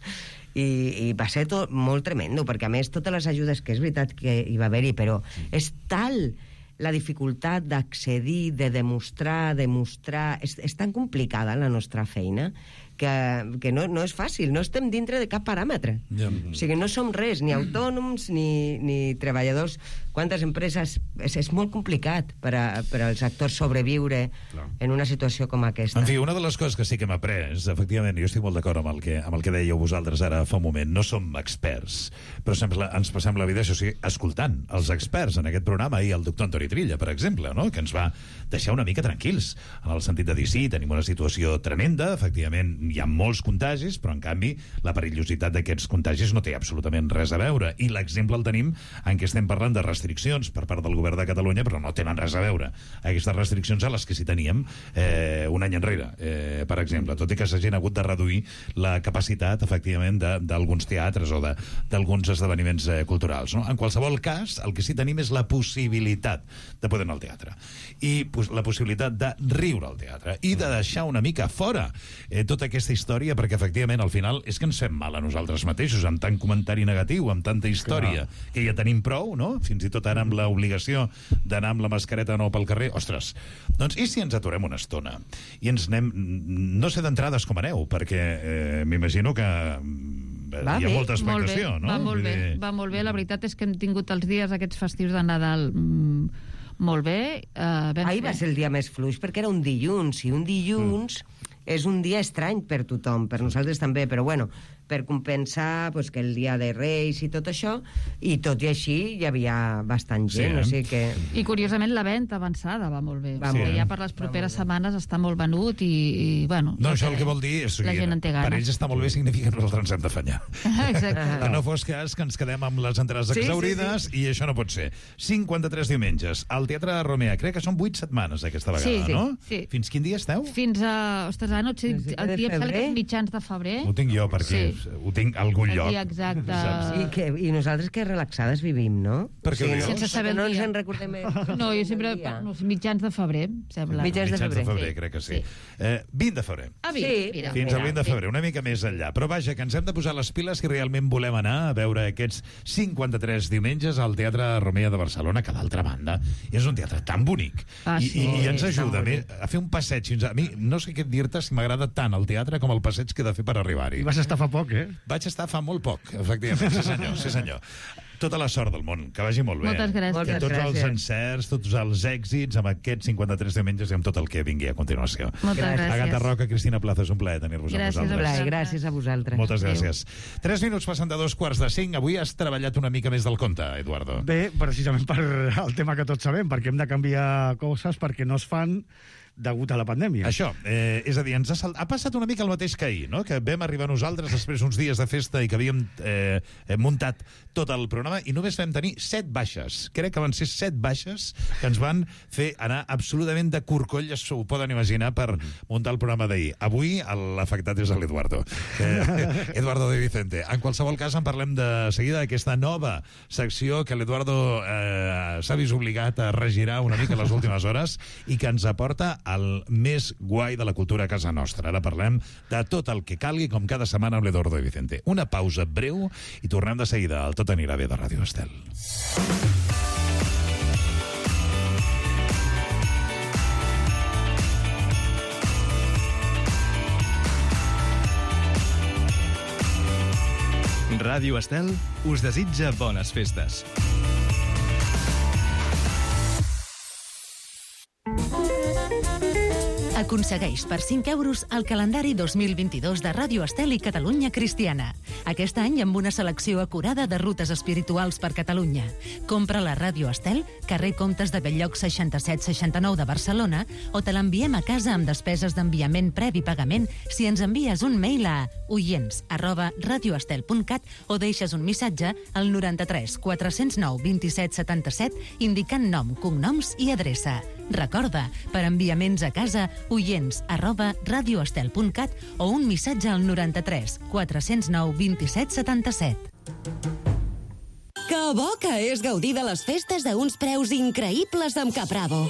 I, i va ser tot molt tremendo, perquè a més totes les ajudes, que és veritat que hi va haver-hi, però és tal la dificultat d'accedir, de demostrar, demostrar... És, és tan complicada la nostra feina que, que no, no és fàcil, no estem dintre de cap paràmetre. Ja. O sigui, no som res, ni autònoms ni, ni treballadors. Quantes empreses... És, és molt complicat per, a, per als actors sobreviure Clar. en una situació com aquesta. En fi, una de les coses que sí que hem après, efectivament, jo estic molt d'acord amb, el que, amb el que dèieu vosaltres ara fa un moment, no som experts, però sempre ens passem la vida, això sí, escoltant els experts en aquest programa, i el doctor Antoni Trilla, per exemple, no? Que ens va deixar una mica tranquils, en el sentit de dir, sí, tenim una situació tremenda, efectivament, hi ha molts contagis, però en canvi la perillositat d'aquests contagis no té absolutament res a veure, i l'exemple el tenim en què estem parlant de restriccions per part del govern de Catalunya, però no tenen res a veure aquestes restriccions a les que sí teníem eh, un any enrere, eh, per exemple, tot i que s'hagin hagut de reduir la capacitat, efectivament, d'alguns teatres o d'alguns esdeveniments eh, culturals, no? En qualsevol cas, el que sí tenim és la possibilitat de poder anar al teatre, i pues, la possibilitat de riure al teatre, i de deixar una mica fora eh, tota aquesta història, perquè efectivament al final és que ens fem mal a nosaltres mateixos amb tant comentari negatiu, amb tanta història Clar. que ja tenim prou, no? Fins i tot ara amb l'obligació d'anar amb la mascareta no pel carrer, ostres, doncs i si ens aturem una estona i ens anem, no sé d'entrades com aneu, perquè eh, m'imagino que va hi ha bé, molta expectació, molt no? Va molt bé, dir... va molt bé, la veritat és que hem tingut els dies aquests festius de Nadal mmm, molt bé. Uh, Ahir va ser el dia més fluix perquè era un dilluns, i un dilluns mm. és un dia estrany per tothom, per nosaltres també, però bueno, per compensar pues, que el dia de Reis i tot això, i tot i així hi havia bastant gent, sí, eh? O sigui que... I curiosament la venda avançada va molt bé, va sí. molt ja per les properes setmanes està molt venut i, i bueno... No, això el que vol dir és la gent en té per ells està molt bé, significa que nosaltres ens hem d'afanyar. Exacte. Que no fos cas que ens quedem amb les entrades sí, exaurides sí, sí. i això no pot ser. cinquanta-tres diumenges, al Teatre de Romea, crec que són vuit setmanes aquesta vegada, sí, sí, no? Sí. Fins quin dia esteu? Fins a... Ostres, ara no sé, el dia em sembla que és mitjans de febrer. Ho tinc jo, perquè sí. ho tinc a algun lloc. Exacte. I, que, I nosaltres que relaxades vivim, no? Per què sí, ho no? Sense saber no el ens dia. en recordem... No, jo sempre... No, mitjans de febrer, sembla. Mitjans de mitjans febrer, de febrer sí. crec que sí. sí. Eh, vint de febrer. Ah, vint, sí. mira. Fins al vint de febrer, una mica més enllà. Però vaja, que ens hem de posar les piles si realment volem anar a veure aquests cinquanta-tres diumenges al Teatre Romea de Barcelona, que d'altra banda és un teatre tan bonic. Ah, I, sí. i, I ens ajuda a, mi, a fer un passeig. Fins a mi, no sé què dir-te si m'agrada tant el teatre com el passeig que he de fer per arribar-hi. I vas estar fa poc, eh? Vaig estar fa molt poc, efectivament. Sí, senyor, sí, senyor. Tota la sort del món, que vagi molt bé. Moltes gràcies. Que tots els encerts, tots els èxits amb aquests cinquanta-tres diumenges i amb tot el que vingui a continuació. Moltes gràcies. Agata Roca, Cristina Plaza, és un plaer tenir-vos amb vosaltres. Gràcies, gràcies a vosaltres. Moltes gràcies. Tres minuts passant de dos quarts de cinc. Avui has treballat una mica més del compte, Eduardo. Bé, precisament per el tema que tots sabem, perquè hem de canviar coses perquè no es fan degut a la pandèmia. Això, eh, és a dir, ens ha, sal... ha passat una mica el mateix que ahir, no? Que vam arribar nosaltres després uns dies de festa i que havíem eh, muntat tot el programa i només vam tenir set baixes. Crec que van ser set baixes que ens van fer anar absolutament de corcoll, s'ho poden imaginar, per muntar el programa d'ahir. Avui l'afectat és l'Eduardo. Eh, Eduardo de Vicente. En qualsevol cas, en parlem de seguida d'aquesta nova secció que l'Eduardo eh, s'ha vist obligat a regirar una mica les últimes hores i que ens aporta el més guai de la cultura a casa nostra. Ara parlem de tot el que calgui, com cada setmana amb l'Eduardo de Vicente. Una pausa breu i tornem de seguida al Tot anirà bé de Ràdio Estel. Ràdio Estel us desitja bones festes. Aconsegueix per cinc euros el calendari dos mil vint-i-dos de Ràdio Estel i Catalunya Cristiana. Aquest any amb una selecció acurada de rutes espirituals per Catalunya. Compra la Ràdio Estel, carrer Comtes de Belllloc seixanta-set seixanta-nou de Barcelona, o te l'enviem a casa amb despeses d'enviament previ pagament si ens envies un mail a oients arroba radioestel punt cat o deixes un missatge al noranta-tres quatre-cents nou vint-i-set setanta-set indicant nom, cognoms i adreça. Recorda, per enviaments a casa, oients arroba radioestel punt cat o un missatge al noranta-tres quatre-cents nou vint-i-set setanta-set. Que bo que és gaudir de les festes a uns preus increïbles amb Capravo.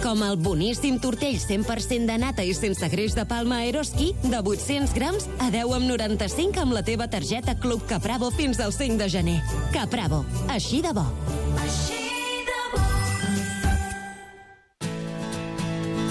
Com el boníssim tortell cent per cent de nata i sense greix de palma Eroski de vuit-cents grams a deu coma noranta-cinc amb la teva targeta Club Capravo fins al cinc de gener. Capravo, així de bo.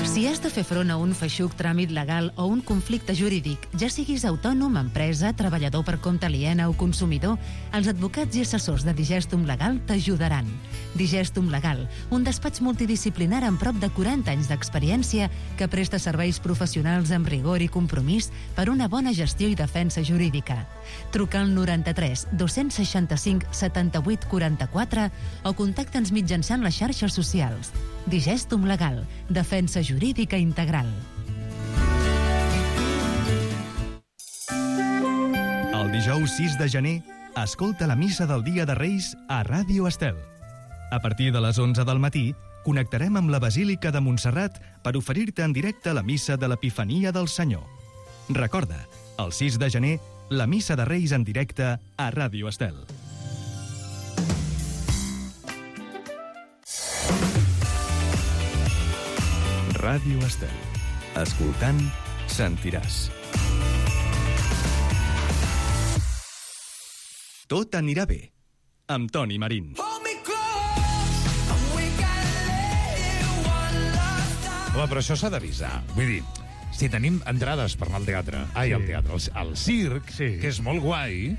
Si has de fer front a un feixuc tràmit legal o un conflicte jurídic, ja siguis autònom, empresa, treballador per compte aliena o consumidor, els advocats i assessors de Digestum Legal t'ajudaran. Digestum Legal, un despatx multidisciplinar amb prop de quaranta anys d'experiència que presta serveis professionals amb rigor i compromís per una bona gestió i defensa jurídica. Truca al noranta-tres dos-cents seixanta-cinc setanta-vuit quaranta-quatre o contacta'ns mitjançant les xarxes socials. Digestum Legal, defensa jurídica integral. El dijous sis de gener, escolta la missa del Dia de Reis a Ràdio Estel. A partir de les onze del matí, connectarem amb la Basílica de Montserrat per oferir-te en directe la missa de l'Epifania del Senyor. Recorda, el sis de gener, la missa de Reis en directe a Ràdio Estel. Ràdio Estel. Escoltant, sentiràs. Tot anirà bé, amb Toni Marín. Home, però això s'ha d'avisar. Vull dir, si tenim entrades per anar al teatre, ai, al teatre, al, al circ, sí. que és molt guai,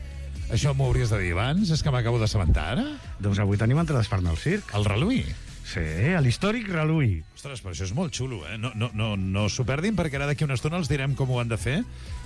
això m'ho hauries de dir abans? És que m'acabo d'assabentar ara? Doncs avui tenim entrades per anar al circ. Al Reluí? Sí, a l'històric Reluí. Ostres, però això és molt xulo, eh? No, no, no, no s'ho perdin, perquè ara d'aquí una estona els direm com ho han de fer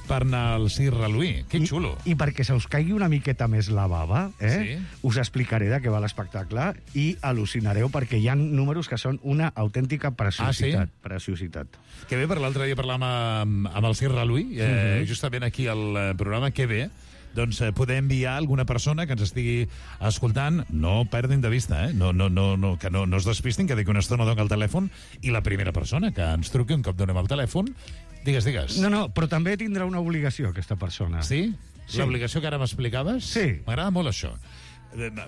per anar al circ Reluí. Que xulo. I, i perquè se us caigui una miqueta més la bava, eh? Sí. Us explicaré de què va l'espectacle i al·lucinareu perquè hi ha números que són una autèntica preciositat. Ah, sí? Preciositat. Que bé, per l'altre dia parlàvem amb, amb el circ Reluí, eh, mm-hmm. justament aquí al programa, que bé, doncs eh, poder enviar alguna persona que ens estigui escoltant. No perdin de vista, eh? No, no, no, no, que no, no es despistin, que d'aquí una estona dono el telèfon i la primera persona que ens truqui un cop donem el telèfon, digues, digues. No, no, però també tindrà una obligació, aquesta persona. Sí? Sí. L'obligació que ara m'explicaves? Sí. M'agrada molt això.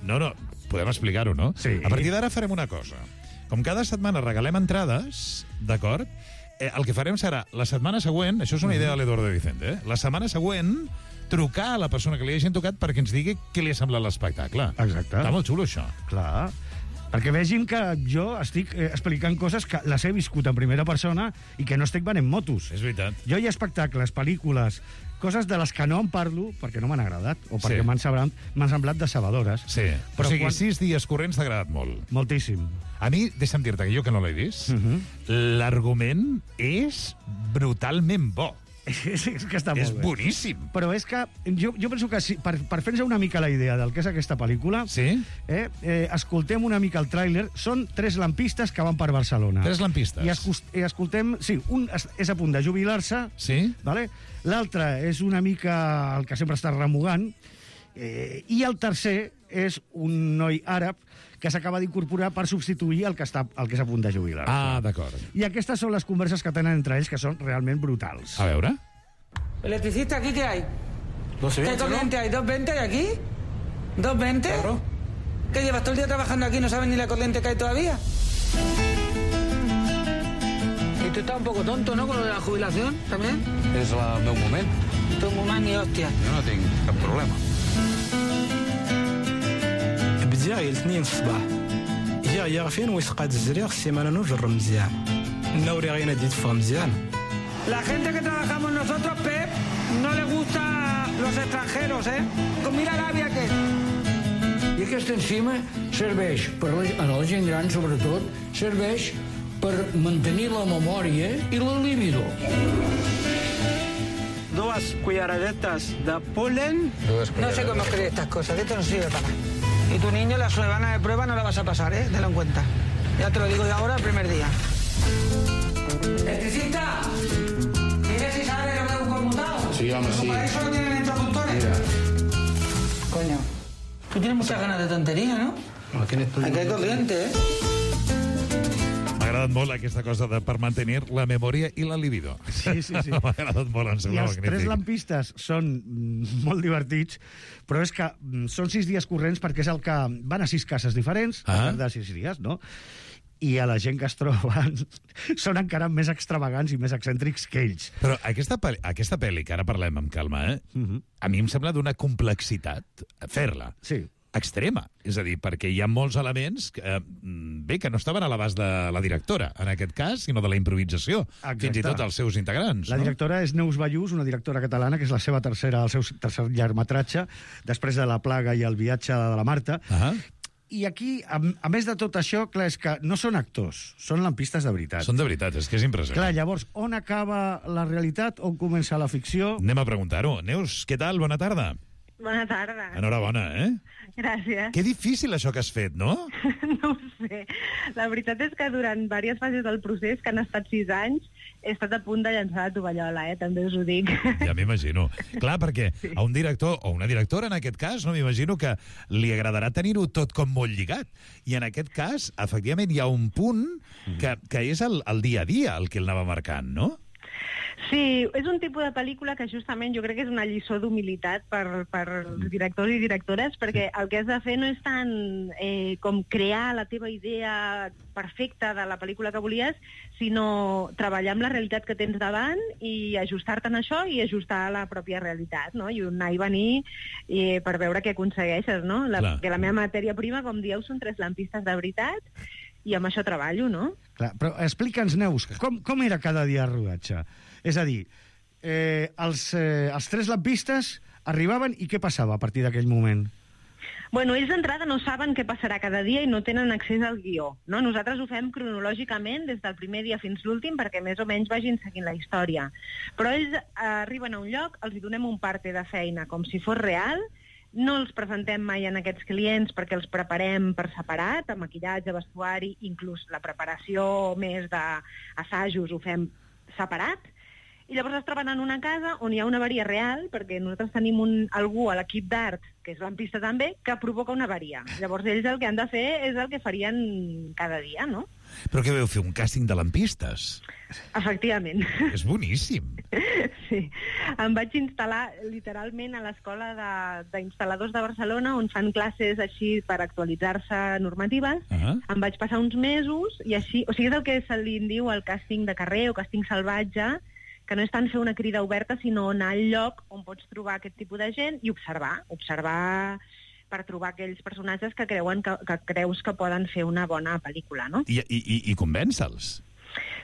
No, no, podem explicar-ho, no? Sí. A partir d'ara farem una cosa. Com cada setmana regalem entrades, d'acord? Eh, el que farem serà, la setmana següent, això és una idea de l'Eduardo Vicente, eh? La setmana següent trucar a la persona que li hagin tocat perquè ens digui què li ha semblat l'espectacle. Exacte. Està molt xulo, això. Clar. Perquè vegin que jo estic eh, explicant coses que les he viscut en primera persona i que no estic venent motos. És veritat. Jo hi ha espectacles, pel·lícules, coses de les que no en parlo perquè no m'han agradat o perquè Sí. m'han semblat, m'han semblat decebedores. Sí. Però o sigui, quan... sis dies corrents t'ha agradat molt. Moltíssim. A mi, deixa'm dir-te que jo que no l'he vist, Uh -huh. l'argument és brutalment bo. És, és que està És molt bé. boníssim. Però és que jo, jo penso que si, per, per fer-nos una mica la idea del que és aquesta pel·lícula, sí? eh, eh, escoltem una mica el tràiler. Són tres lampistes que van per Barcelona. Tres lampistes. I, escus, i escoltem... Sí, un és, és a punt de jubilar-se. Sí? Vale? L'altre és una mica el que sempre està remugant. Eh, I el tercer és un noi àrab que s'acaba d'incorporar per substituir el que, està, el que és a punt de jubilar. Ah, d'acord. I aquestes són les converses que tenen entre ells, que són realment brutals. A veure. ¿Electricista aquí qué hay? doscientos ¿Qué veinte, corriente hay? ¿dos veinte hay aquí? ¿dos veinte? Claro. ¿Qué llevas todo el día trabajando aquí y no sabes ni la corriente que hay todavía? Y tú estás un poco tonto, ¿no? Con lo de la jubilación también. És el meu moment. Tu moment ni hòstia. Jo no tinc cap problema. بداية الاثنين في الصباح جا يغفين ويسقات الزريق السيمانة نجر مزيان النوري غينا دي تفهم مزيان. La gente que trabajamos nosotros, Pep, no le gusta los extranjeros, ¿eh? Com mira l'àvia que... I aquesta enzima serveix, per la, a la gent gran sobretot, serveix per mantenir la memòria i la libido. Dos cucharadetas de polen. No sé cómo escribir estas cosas, que esto no sirve para nada. Y tu niño la semana de prueba no la vas a pasar, ¿eh? Tenlo en cuenta. Ya te lo digo de ahora el primer día. ¡Electricista! ¿Tienes si sabe lo que es un conmutado? Sí, vamos, sí. Para eso no tienen introductores. Mira. Coño, tú tienes muchas ganas de tontería, ¿no? No, tienes tú... Aquí hay corriente, ¿eh? M'ha agradat molt aquesta cosa de per mantenir la memòria i la libido. Sí, sí, sí. M'ha agradat molt, em I sembla els magnífic. tres lampistes són mm, molt divertits, però és que mm, són sis dies corrents perquè és el que van a sis cases diferents, Ah. al llarg de sis dies, no? I a la gent que es troben són encara més extravagants i més excèntrics que ells. Però aquesta, pel·li, aquesta pel·li, que ara parlem amb calma, eh? Uh -huh. a mi em sembla d'una complexitat fer-la. Sí. Extrema. És a dir, perquè hi ha molts elements que, eh, bé, que no estaven a l'abast de la directora, en aquest cas, sinó de la improvisació. Exacte. Fins i tot els seus integrants. La no? directora és Neus Ballús, una directora catalana, que és la seva tercera, el seu tercer llargmetratge, després de La plaga i El viatge de la Marta. Uh -huh. I aquí, a, a més de tot això, clar, és que no són actors, són lampistes de veritat. Són de veritat, és que és impressionant. Clar, llavors, on acaba la realitat, on comença la ficció? Anem a preguntar-ho. Neus, què tal? Bona tarda. Bona tarda. Enhorabona, eh? Gràcies. Que difícil això que has fet, no? No ho sé. La veritat és que durant diverses fases del procés, que han estat sis anys, he estat a punt de llançar la tovallola, eh? També us ho dic. Ja m'imagino. Clar, perquè a un director, o una directora en aquest cas, no m'imagino que li agradarà tenir-ho tot com molt lligat. I en aquest cas, efectivament, hi ha un punt que, que és el, el dia a dia el que el anava marcant, no? Sí, és un tipus de pel·lícula que justament jo crec que és una lliçó d'humilitat per, per directors i directores, perquè el que has de fer no és tant eh, com crear la teva idea perfecta de la pel·lícula que volies, sinó treballar amb la realitat que tens davant i ajustar-te en això i ajustar a la pròpia realitat, no? I anar i venir eh, per veure què aconsegueixes, no? La, que la meva matèria prima, com dieu, són tres lampistes de veritat, i amb això treballo, no? Clar, però explica'ns, Neus, com, com era cada dia el rodatge? És a dir, eh, els, eh, els tres lampistes arribaven i què passava a partir d'aquell moment? Bueno, ells d'entrada no saben què passarà cada dia i no tenen accés al guió, no? Nosaltres ho fem cronològicament des del primer dia fins l'últim perquè més o menys vagin seguint la història. Però ells eh, arriben a un lloc, els hi donem un parte de feina com si fos real, no els presentem mai en aquests clients perquè els preparem per separat, amb maquillatge, vestuari, inclús la preparació més d'assajos ho fem separat, i llavors es troben en una casa on hi ha una avaria real, perquè nosaltres tenim un, algú a l'equip d'art, que és lampista també, que provoca una avaria. Llavors ells el que han de fer és el que farien cada dia, no? Però què veu fer, un càsting de lampistes? Efectivament. És boníssim. Sí. Em vaig instal·lar literalment a l'escola de- d'instal·ladors de, de Barcelona, on fan classes així per actualitzar-se normatives. Uh-huh. Em vaig passar uns mesos i així... O sigui, és el que se li diu el càsting de carrer o càsting salvatge, que no és tant fer una crida oberta, sinó anar al lloc on pots trobar aquest tipus de gent i observar, observar per trobar aquells personatges que creuen que, que creus que poden fer una bona pel·lícula, no? I, i, i, i convèncer-los.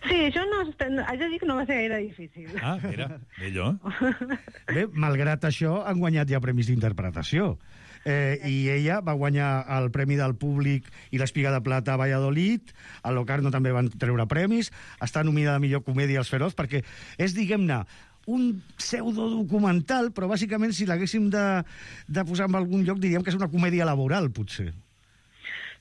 Sí, això no, haig de dir que no va ser gaire difícil. Ah, mira, millor. Bé, malgrat això, han guanyat ja premis d'interpretació. Eh, I ella va guanyar el Premi del Públic i l'Espiga de Plata a Valladolid, a Locarno també van treure premis, està nominada a millor comèdia als Feroz, perquè és, diguem-ne, un pseudodocumental, però bàsicament si l'haguéssim de, de posar en algun lloc diríem que és una comèdia laboral, potser.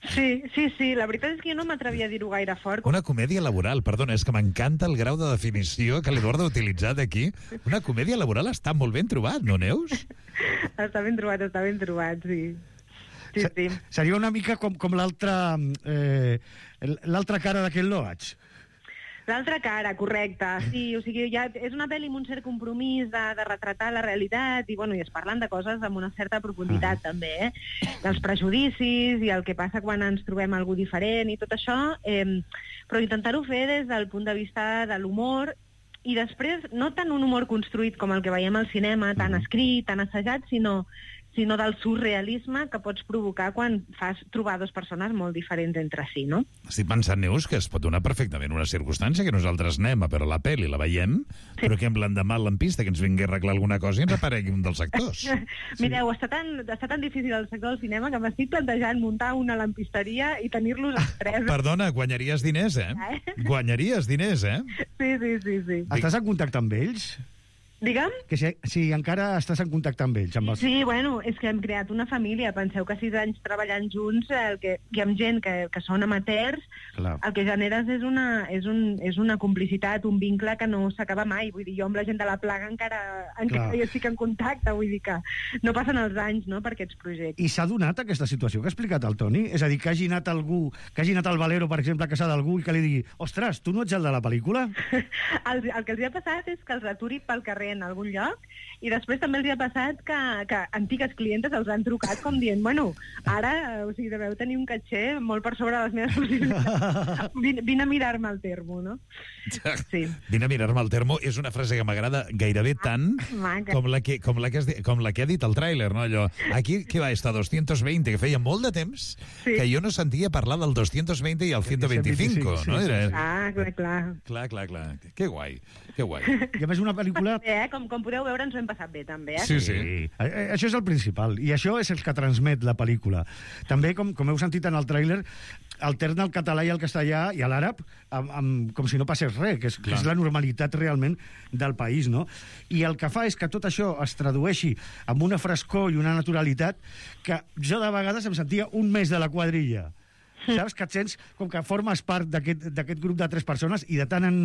Sí, sí, sí, la veritat és que jo no m'atrevia a dir-ho gaire fort. Una comèdia laboral, perdona, és que m'encanta el grau de definició que l'Eduardo ha utilitzat aquí. Una comèdia laboral està molt ben trobat, no, Neus? Està ben trobat, està ben trobat, sí. Sí, sí. Seria una mica com, com l'altra eh, l'altra cara d'aquest Loach. L'altra cara, correcte. Sí, o sigui, ja és una pel·li amb un cert compromís de, de retratar la realitat i, bueno, i es parlen de coses amb una certa profunditat, ah. també, eh? Dels prejudicis i el que passa quan ens trobem algú diferent i tot això, eh, però intentar-ho fer des del punt de vista de l'humor i després no tant un humor construït com el que veiem al cinema, tan escrit, tan assajat, sinó sinó del surrealisme que pots provocar quan fas trobar dues persones molt diferents entre si, no? Estic pensant, Neus, que es pot donar perfectament una circumstància que nosaltres anem a veure la pel·li, la veiem, sí. però que amb l'endemà a l'ampista que ens vingui a arreglar alguna cosa i ens aparegui un dels actors. Mireu, està tan, està tan difícil el sector del cinema que m'estic plantejant muntar una lampisteria i tenir-los els tres. Perdona, guanyaries diners, eh? Guanyaries diners, eh? Sí, sí, sí, sí. Estàs en contacte amb ells? Digue'm? Que si, si encara estàs en contacte amb ells. Amb els... Sí, bueno, és que hem creat una família. Penseu que sis anys treballant junts, el que, que amb gent que, que són amateurs, Clar. el que generes és una, és, un, és una complicitat, un vincle que no s'acaba mai. Vull dir, jo amb la gent de la plaga encara, encara hi estic en contacte, vull dir que no passen els anys, no?, per aquests projectes. I s'ha donat aquesta situació que ha explicat el Toni? És a dir, que hagi anat algú, que hagi anat al Valero, per exemple, a casa d'algú i que li digui, ostres, tu no ets el de la pel·lícula? el, el que els ha passat és que els aturi pel carrer en algun lloc, i després també els ha passat que, que antigues clientes els han trucat com dient, bueno, ara, o sigui, deveu tenir un caché molt per sobre de les meves possibilitats. Vine, vine a mirar-me el termo, no? Sí. Vine a mirar-me el termo és una frase que m'agrada gairebé tant ah, com, la que, com, la que has, com la que ha dit el tràiler, no? Allò, aquí, què va, esta doscientos veinte, que feia molt de temps sí. que jo no sentia parlar del doscientos veinte i el ciento veinticinco, sí, no? Era... Ah, clar, clar. Clar, clar, clar. Que guai, que guai. I a més una pel·lícula... Eh, com, com podeu veure, ens ho hem passat bé, també, eh? Sí, sí. sí. Això és el principal, i això és el que transmet la pel·lícula. També, com, com heu sentit en el tràiler, alterna el català i el castellà i l'àrab amb, amb, com si no passés res, que és, que és la normalitat realment del país, no? I el que fa és que tot això es tradueixi amb una frescor i una naturalitat que jo de vegades em sentia un mes de la quadrilla. Saps? Que et sents com que formes part d'aquest grup de tres persones i de tant en,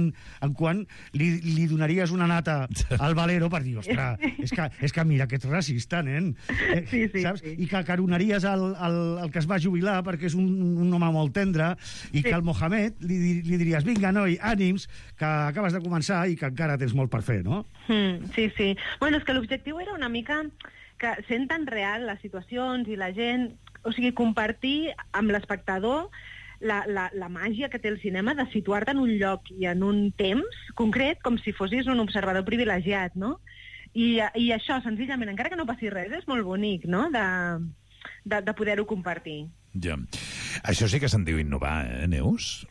en quant li, li donaries una nata al Valero per dir, ostres, és que, és que mira que ets racista, nen. Eh, sí, sí, saps? Sí. I que caronaries el, el, el que es va jubilar perquè és un, un home molt tendre i sí. que al Mohamed li, li diries, vinga, noi, ànims, que acabes de començar i que encara tens molt per fer, no? Mm, sí, sí. Bueno, és que l'objectiu era una mica que sent tan real les situacions i la gent... O sigui, compartir amb l'espectador la, la, la màgia que té el cinema de situar-te en un lloc i en un temps concret com si fossis un observador privilegiat, no? I, i això, senzillament, encara que no passi res, és molt bonic, no?, de, de, de poder-ho compartir. Ja. Això sí que se'n diu innovar, eh, Neus?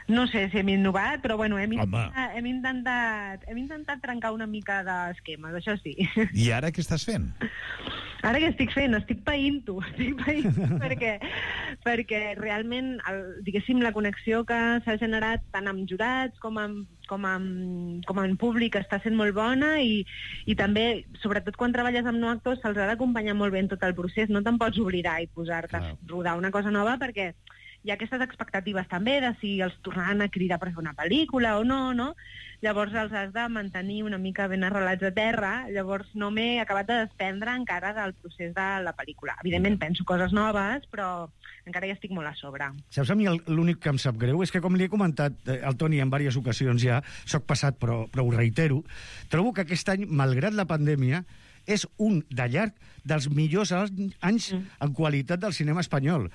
No sé si hem innovat, però bueno, hem intentat, hem intentat, hem intentat trencar una mica d'esquemes, això sí. I ara què estàs fent? Ara què estic fent? Estic païnt-ho, estic païnt-ho perquè, perquè realment, el, diguéssim, la connexió que s'ha generat tant amb jurats com amb, com amb, com amb públic està sent molt bona i, i també, sobretot quan treballes amb no actors, se'ls ha d'acompanyar molt bé en tot el procés, no te'n pots oblidar i posar-te a rodar una cosa nova perquè hi ha aquestes expectatives també de si els tornaran a cridar per fer una pel·lícula o no, no? Llavors els has de mantenir una mica ben arrelats a terra, llavors no m'he acabat de desprendre encara del procés de la pel·lícula. Evidentment penso coses noves, però encara hi estic molt a sobre. Saps, a mi l'únic que em sap greu és que, com li he comentat al Toni en diverses ocasions ja, soc passat però, però ho reitero, trobo que aquest any, malgrat la pandèmia, és un de llarg dels millors anys mm. en qualitat del cinema espanyol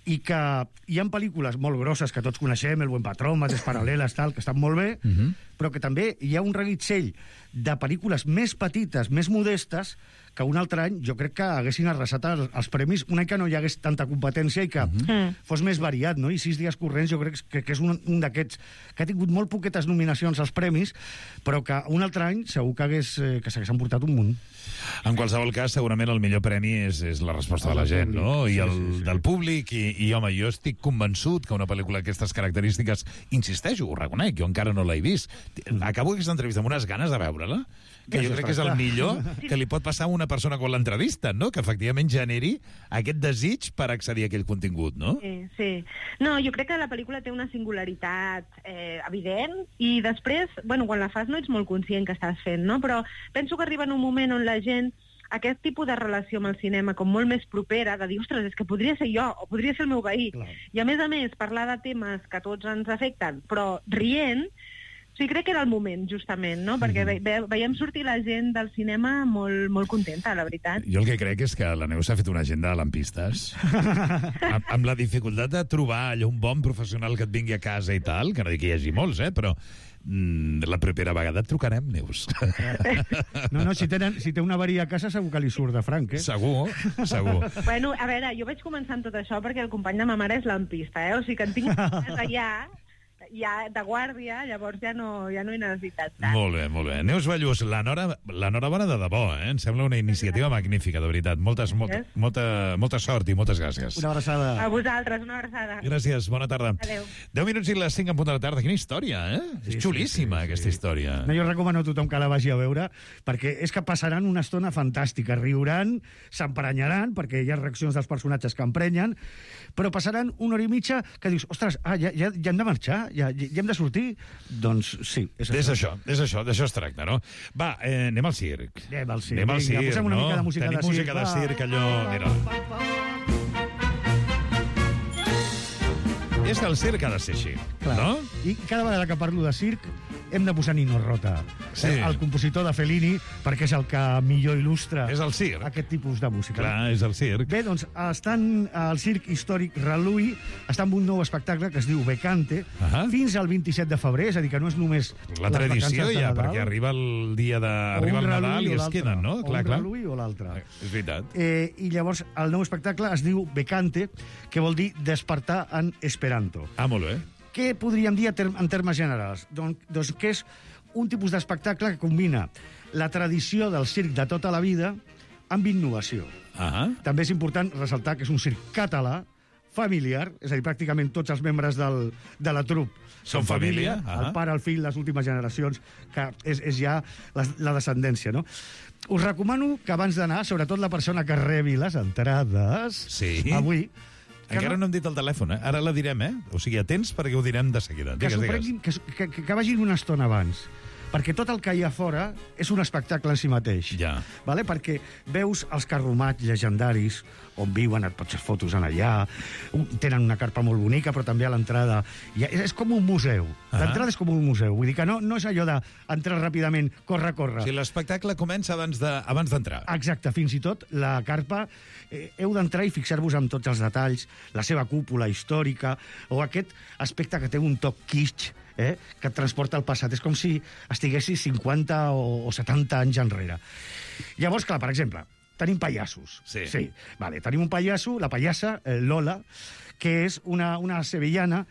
i que hi ha pel·lícules molt grosses que tots coneixem, El buen patrón, Mates paral·leles, tal, que estan molt bé, mm-hmm. però que també hi ha un reguitzell de pel·lícules més petites, més modestes, que un altre any jo crec que haguessin arrasat els, els premis, un any que no hi hagués tanta competència i que mm-hmm. fos més variat, no? I Sis dies corrents jo crec que, que és un, un d'aquests que ha tingut molt poquetes nominacions als premis, però que un altre any segur que, hagués, eh, que s'hagués emportat un munt. En qualsevol cas, segurament el millor premi és, és la resposta de la gent, no? I el sí, sí, sí. del públic, i, i home, jo estic convençut que una pel·lícula d'aquestes característiques, insisteixo, ho reconec, jo encara no l'he vist. Acabo aquesta entrevista amb unes ganes de veure-la, que jo crec que és el millor que li pot passar a una persona quan l'entrevista, no? Que efectivament generi aquest desig per accedir a aquell contingut, no? Sí, sí. No, jo crec que la pel·lícula té una singularitat eh, evident i després, bueno, quan la fas no ets molt conscient que estàs fent, no? Però penso que arriba en un moment on la gent aquest tipus de relació amb el cinema com molt més propera, de dir, ostres, és que podria ser jo, o podria ser el meu veí. Clar. I a més a més, parlar de temes que tots ens afecten, però rient, O sigui, crec que era el moment, justament, no? Perquè ve, ve, veiem sortir la gent del cinema molt, molt contenta, la veritat. Jo el que crec és que la Neus s'ha fet una agenda de lampistes. amb, amb la dificultat de trobar allò un bon professional que et vingui a casa i tal, que no dic que hi hagi molts, eh, però mm, la propera vegada et trucarem, Neus. No, no, si, tenen, si té una avaria a casa segur que li surt de franc, eh? Segur, segur. Bueno, a veure, jo vaig començar amb tot això perquè el company de ma mare és lampista, eh? O sigui que en tinc allà... ja de guàrdia, llavors ja no, ja no he necessitat tant. Molt bé, molt bé. Neus Ballús, l'enhorabona de debò, eh? Em sembla una iniciativa magnífica, de veritat. Moltes, molta, molta, molta sort i moltes gràcies. Una abraçada. A vosaltres, una abraçada. Gràcies, bona tarda. Adéu. deu minuts i les cinc en punt de la tarda. Quina història, eh? Sí, és xulíssima, sí, sí, aquesta sí. història. No, jo recomano a tothom que la vagi a veure, perquè és que passaran una estona fantàstica. Riuran, s'emperanyaran, perquè hi ha reaccions dels personatges que emprenyen, però passaran una hora i mitja que dius, ostres, ah, ja, ja, ja hem de marxar, ja, ja hem de sortir? Doncs sí. És, és això, és això, d'això es tracta, no? Va, eh, anem al circ. Anem al circ, anem al vinga, circ, posem una no? mica de música Tenim de circ. música de circ, allò... Mira. És que el circ ha de ser així, Clar. no? I cada vegada que parlo de circ hem de posar Nino Rota, Sí. el compositor de Fellini, perquè és el que millor il·lustra És el circ. aquest tipus de música. Clar, és el circ. Bé, doncs, estan al Circ Històric Reluí, està amb un nou espectacle que es diu Becante, Uh -huh. fins al vint-i-set de febrer, és a dir, que no és només La les tradició vacances de ja, Nadal, perquè arriba el dia de... o Arriba un el Nadal reluí i o es l'altre, queden, no? o Clar, un clar. reluí o l'altre. És veritat. Eh, I llavors el nou espectacle es diu Becante, que vol dir despertar en esperanto. Ah, molt bé. Què podríem dir en termes generals? Doncs, doncs que és un tipus d'espectacle que combina la tradició del circ de tota la vida amb innovació. Ah. També és important ressaltar que és un circ català, familiar, és a dir, pràcticament tots els membres del, de la trup Són família. el Ah. pare, el fill, les últimes generacions, que és, és ja la, la descendència, no? Us recomano que abans d'anar, sobretot la persona que rebi les entrades, Sí. avui, que Encara no- no hem dit el telèfon, eh? Ara la direm, eh? O sigui, atents perquè ho direm de seguida. que Digues, s'ho digues. prenguin, que, que, que, que vagin una estona abans, perquè tot el que hi ha fora és un espectacle en si mateix. Ja. Vale? Perquè veus els carromats llegendaris on viuen, et pots fer fotos en allà, un- tenen una carpa molt bonica, però també a l'entrada hi ha- és, és com un museu. Ah. L'entrada és com un museu. Vull dir que no, no és allò d'entrar ràpidament, corre, corre. O sigui, l'espectacle comença abans de abans d'entrar. Exacte, fins i tot la carpa, eh, heu d'entrar i fixar-vos en tots els detalls, la seva cúpula històrica, o aquest aspecte que té un toc kitsch, eh, que et transporta al passat. És com si estiguessis cinquanta o, o setanta anys enrere. Llavors, clar, per exemple, tenim pallassos. Sí. sí. Vale, tenim un pallasso, la pallassa, eh, Lola, que és una, una sevillana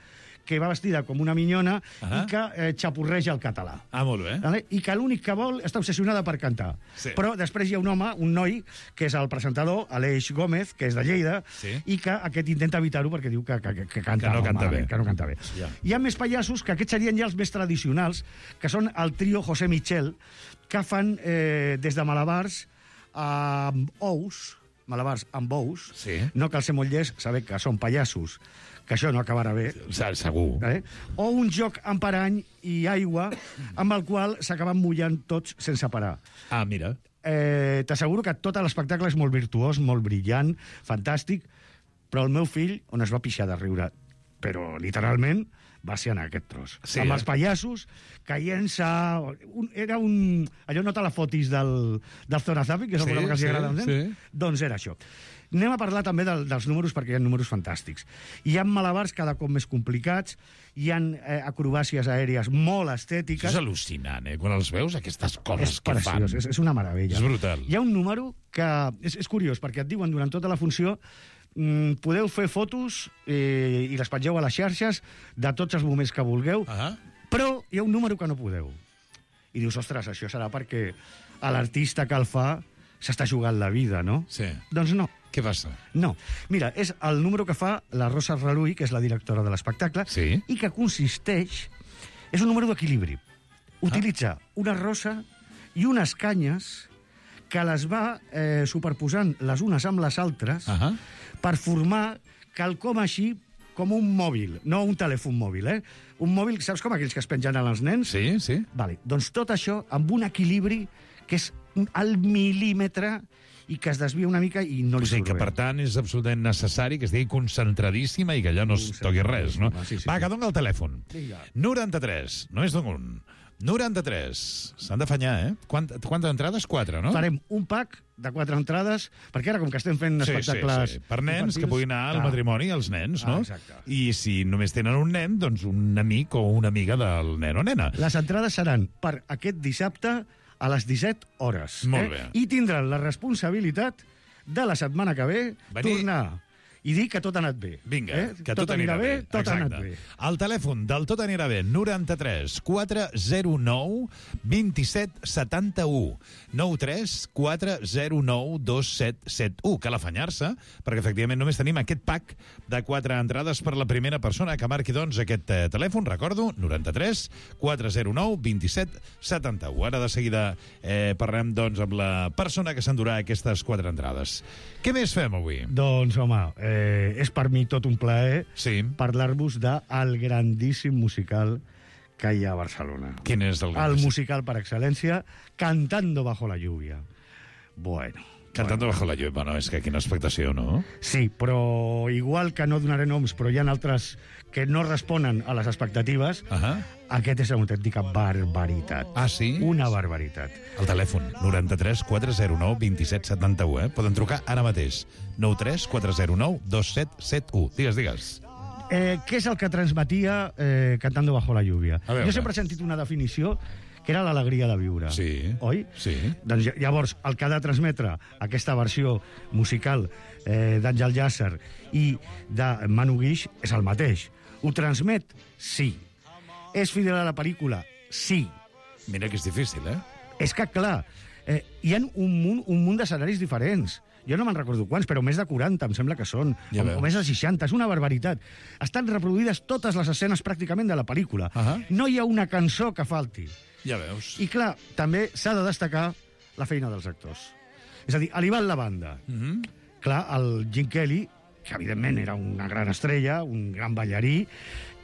que va vestida com una minyona Ah. i que eh, xapurreja el català. Ah, molt bé. Vale? I que l'únic que vol està obsessionada per cantar. Sí. Però després hi ha un home, un noi, que és el presentador, Aleix Gómez, que és de Lleida, Sí. i que aquest intenta evitar-ho perquè diu que, que, que canta, Que no canta malament, bé. que no canta bé. Ja. Hi ha més pallassos, que aquests serien ja els més tradicionals, que són el trio José Michel, que fan eh, des de malabars amb ous, malabars amb ous, Sí. no cal ser molt llest, saber que són pallassos, que això no acabarà bé. Segur. Eh? O un joc amb parany i aigua amb el qual s'acaben mullant tots sense parar. Ah, mira. Eh, T'asseguro que tot l'espectacle és molt virtuós, molt brillant, fantàstic, però el meu fill, on es va pixar de riure, però literalment, va ser en aquest tros. Sí, amb eh? els pallassos caient-se... Un, era un... Allò no te la fotis del, del Zorazapi, que és el Sí, programa que els sí, agrada als nens? sí. Doncs era això. Anem a parlar també del, dels números, perquè hi ha números fantàstics. Hi ha malabars cada cop més complicats, hi ha eh, acrobàcies aèries molt Això estètiques. és al·lucinant, eh? Quan els veus, aquestes coses És que fan. preciós, és, és una meravella. És brutal. Hi ha un número que és, és curiós, perquè et diuen durant tota la funció mm, podeu fer fotos eh, i les pengeu a les xarxes de tots els moments que vulgueu, Ah. però hi ha un número que no podeu. I dius, ostres, això serà perquè a l'artista que el fa s'està jugant la vida, no? Sí. Doncs no. Què passa? No. Mira, és el número que fa la Rosa Reluí, que és la directora de l'espectacle, Sí. i que consisteix... És un número d'equilibri. Utilitza una rosa i unes canyes que les va eh, superposant les unes amb les altres Ah. per formar quelcom així com un mòbil, no un telèfon mòbil, eh? Un mòbil, saps com aquells que es pengen als nens? Sí, sí. Vale. Doncs tot això amb un equilibri que és al mil·límetre i que es desvia una mica i no li O sigui que, surt bé. per tant, és absolutament necessari que estigui concentradíssima i que allò no es toqui res, no? Sí, sí, Va, sí. que dona el telèfon. Vinga. noranta-tres, no és d'un. noranta-tres. S'han d'afanyar, eh? Quant, quantes entrades? Quatre, no? Farem un pack de quatre entrades, perquè ara, com que estem fent Sí, espectacles... sí, sí. Per nens que puguin anar al clar. matrimoni, els nens, no? Ah, exacte. I si només tenen un nen, doncs un amic o una amiga del nen o nena. Les entrades seran per aquest dissabte a les disset hores. Molt eh? bé. I tindran la responsabilitat de la setmana que ve Venir- tornar i dir que tot ha anat bé. Vinga, eh? que tot, anirà bé. Tot Exacte. ha anat bé. El telèfon del Tot anirà bé, noranta-tres quatre zero nou dos set set u. nou tres quatre zero nou dos set set u. Cal afanyar-se, perquè efectivament només tenim aquest pack de quatre entrades per la primera persona que marqui, doncs, aquest eh, telèfon, recordo, noranta-tres quatre zero nou dos set set u. Ara de seguida eh, parlem, doncs, amb la persona que s'endurà aquestes quatre entrades. Què més fem avui? Doncs, home, eh, és per mi tot un plaer sí. parlar-vos del grandíssim musical que hi ha a Barcelona. Quin és el El musical per excel·lència, Cantando bajo la lluvia. Bueno. Cantando bajo la lluvia, bueno, és que quina expectació, no? Sí, però igual que no donaré noms, però hi ha altres que no responen a les expectatives, uh -huh. aquest és una autèntica barbaritat. Ah, sí? Una barbaritat. El telèfon, noranta-tres quatre zero nou dos set set u, eh? Poden trucar ara mateix. nou tres quatre zero nou dos set set u. Digues, digues. Eh, què és el que transmetia eh, Cantando bajo la lluvia? veure. Jo sempre he sentit una definició que era l'alegria de viure. Sí. Oi? Sí. Doncs llavors, el que ha de transmetre aquesta versió musical eh, d'Àngel Llàcer i de Manu Guix és el mateix. Ho transmet? Sí. És fidel a la pel·lícula? Sí. Mira que és difícil, eh? És que, clar, eh, hi ha un munt, un munt d'escenaris diferents. Jo no me'n recordo quants, però més de quaranta, em sembla que són. Ja o, veus. o més de seixanta, és una barbaritat. Estan reproduïdes totes les escenes pràcticament de la pel·lícula. Uh -huh. No hi ha una cançó que falti. Ja veus. I, clar, també s'ha de destacar la feina dels actors. És a dir, a l'Ivan la banda. Uh -huh. Clar, el Gene Kelly, que evidentment era una gran estrella, un gran ballarí,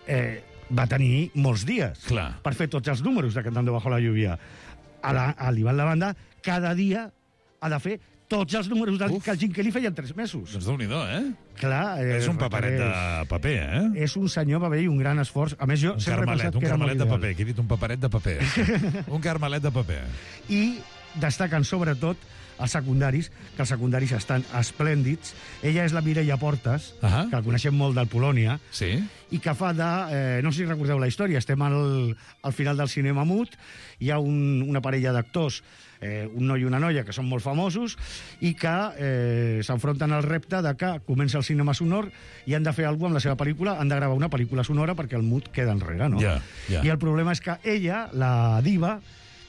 eh, va tenir molts dies Clar. per fer tots els números de Cantando bajo la lluvia. A la- a l'Ivan la banda, cada dia ha de fer tots els números del, que el Gene Kelly feia en tres mesos. Doncs déu-n'hi-do, eh? Clar, eh, És un paperet de paper, eh? És un senyor paper i un gran esforç. A més, jo Un sempre he carmelet, pensat un que era molt carmelet de ideal. paper. Aquí he dit un paperet de paper. Un carmelet de paper. I destaquen sobretot els secundaris, que els secundaris estan esplèndids. Ella és la Mireia Portes, uh -huh. que la coneixem molt del Polònia, sí. i que fa de... Eh, no sé si recordeu la història, estem al, al final del cinema mut, hi ha un, una parella d'actors, eh, un noi i una noia, que són molt famosos, i que eh, s'enfronten al repte de que comença el cinema sonor i han de fer alguna cosa amb la seva pel·lícula, han de gravar una pel·lícula sonora perquè el mut queda enrere, no? Ja, ja. I el problema és que ella, la diva,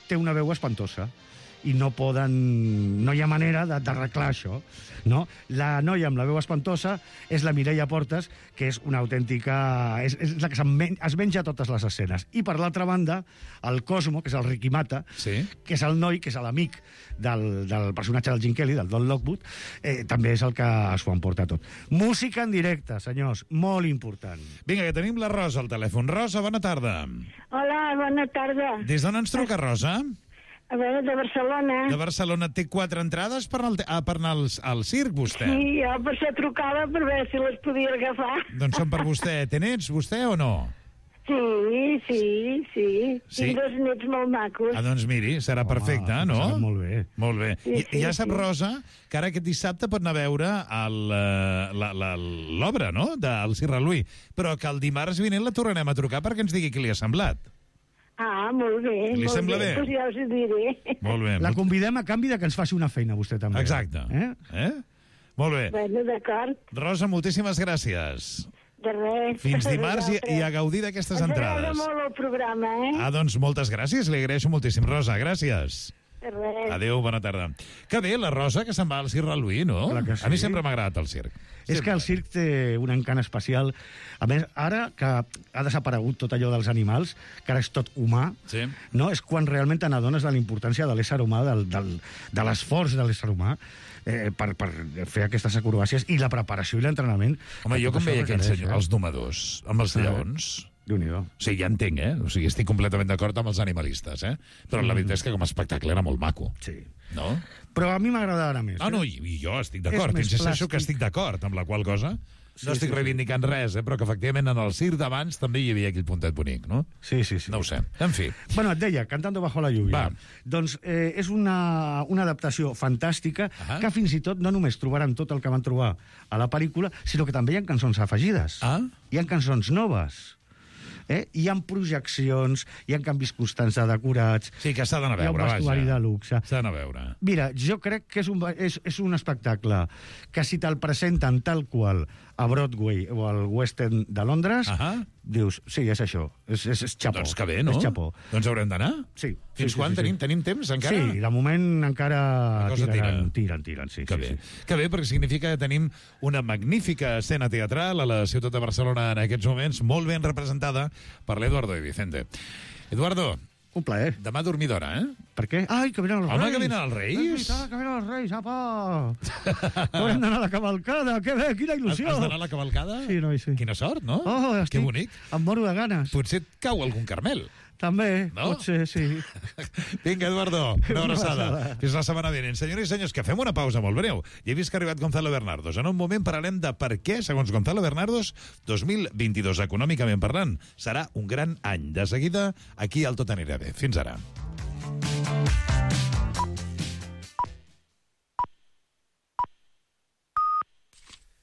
té una veu espantosa i no poden... no hi ha manera de- d'arreglar això, no? La noia amb la veu espantosa és la Mireia Portes, que és una autèntica... és, és la que men es menja totes les escenes. I per l'altra banda, el Cosmo, que és el Ricky Mata, sí. que és el noi, que és l'amic del, del personatge del Gene Kelly, del Don Lockwood, eh, també és el que s'ho emporta tot. Música en directe, senyors, molt important. Vinga, que tenim la Rosa al telèfon. Rosa, bona tarda. Hola, bona tarda. Des d'on ens truca, Rosa? A veure, de Barcelona. De Barcelona. Té quatre entrades per anar al, ah, per anar al, al circ, vostè? Sí, jo per això trucava per veure si les podia agafar. Doncs són per vostè. Té nets, vostè, o no? Sí, sí, sí. Sí? Tinc dos nets molt macos. Ah, doncs miri, serà perfecte, no? serà molt bé. Molt bé. Sí, I, sí, ja sap, sí. Rosa, que ara aquest dissabte pot anar a veure el, eh, la- la- l'obra, no?, del Circ Reluí, però que el dimarts vinent la tornarem a trucar perquè ens digui què li ha semblat. Ah, molt bé. Li molt sembla bé? Doncs ja us ho diré. Molt bé. La convidem a canvi de que ens faci una feina, vostè també. Exacte. Eh? Eh? Molt bé. Bueno, d'acord. Rosa, moltíssimes gràcies. De res. Fins dimarts i, i a gaudir d'aquestes Ens agrada entrades. molt el programa, eh? Ah, doncs moltes gràcies, li agraeixo moltíssim. Rosa, gràcies. De res. Adéu, bona tarda. Que bé, la Rosa, que se'n va al Circ Reluí, no? Clar que sí. A mi sempre m'ha agradat el circ. És que el circ té un encant especial. A més, ara que ha desaparegut tot allò dels animals, que ara és tot humà, sí. no? És quan realment te n'adones de la importància de l'ésser humà, del, del, de l'esforç de l'ésser humà, eh, per, per fer aquestes acrobàcies i la preparació i l'entrenament. Home, que jo tot com això veia aquells requereix, senyors, els domadors, amb els Eh? lleons... Déu-n'hi-do. Sí, ja entenc, eh? O sigui, estic completament d'acord amb els animalistes, eh? Però la veritat és que com a espectacle era molt maco. Sí. No? Però a mi m'agrada ara més. Ah, eh? no, i, i jo estic d'acord. És més Insisteixo que plàstic. estic d'acord, amb la qual cosa Sí, no estic sí, sí. reivindicant res, eh, però que efectivament en el circ d'abans també hi havia aquell puntet bonic, no? Sí, sí, sí. No ho sé. En fi. Bueno, et deia, Cantando bajo la lluvia. Va. Doncs eh, és una, una adaptació fantàstica Ah. que fins i tot no només trobaran tot el que van trobar a la pel·lícula, sinó que també hi ha cançons afegides. Ah? Hi ha cançons noves. Eh? Hi ha projeccions, hi ha canvis constants de decorats... Sí, que s'ha d'anar a Hi ha un veure, vestuari vaja. de luxe. S'ha d'anar a veure. Mira, jo crec que és un, és, és un espectacle que si te'l presenten tal qual a Broadway o al West End de Londres, Ahà. dius, sí, és això, és, és, és xapó. Doncs que bé, no? És xapó. Doncs haurem d'anar? Sí. Fins sí, quan? sí, sí, Tenim, sí. tenim temps encara? Sí, de moment encara La cosa tiraran, tira. tiren, tiren, sí. Que sí, bé. sí. Que bé, perquè significa que tenim una magnífica escena teatral a la ciutat de Barcelona en aquests moments, molt ben representada per l'Eduardo de Vicente. Eduardo, un plaer. Demà a dormir d'hora, eh? Per què? Ai, que venen els Home, Reis! que venen els Reis! És veritat, que venen els Reis, apa! Haurem d'anar a la cavalcada, que bé, quina il·lusió! Has d'anar a la cavalcada? Sí, noi, sí. Quina sort, no? Oh, Que estic... bonic. Em moro de ganes. Potser et cau algun carmel. També, No? pot ser, sí. Vinga, Eduardo, una Una abraçada. abraçada. Fins la setmana vinent. Senyores i senyors, que fem una pausa molt breu. Ja he vist que ha arribat Gonzalo Bernardos. En un moment parlarem de per què, segons Gonzalo Bernardos, dos mil vint-i-dos, econòmicament parlant, serà un gran any. De seguida, aquí al Tot anirà bé. Fins ara.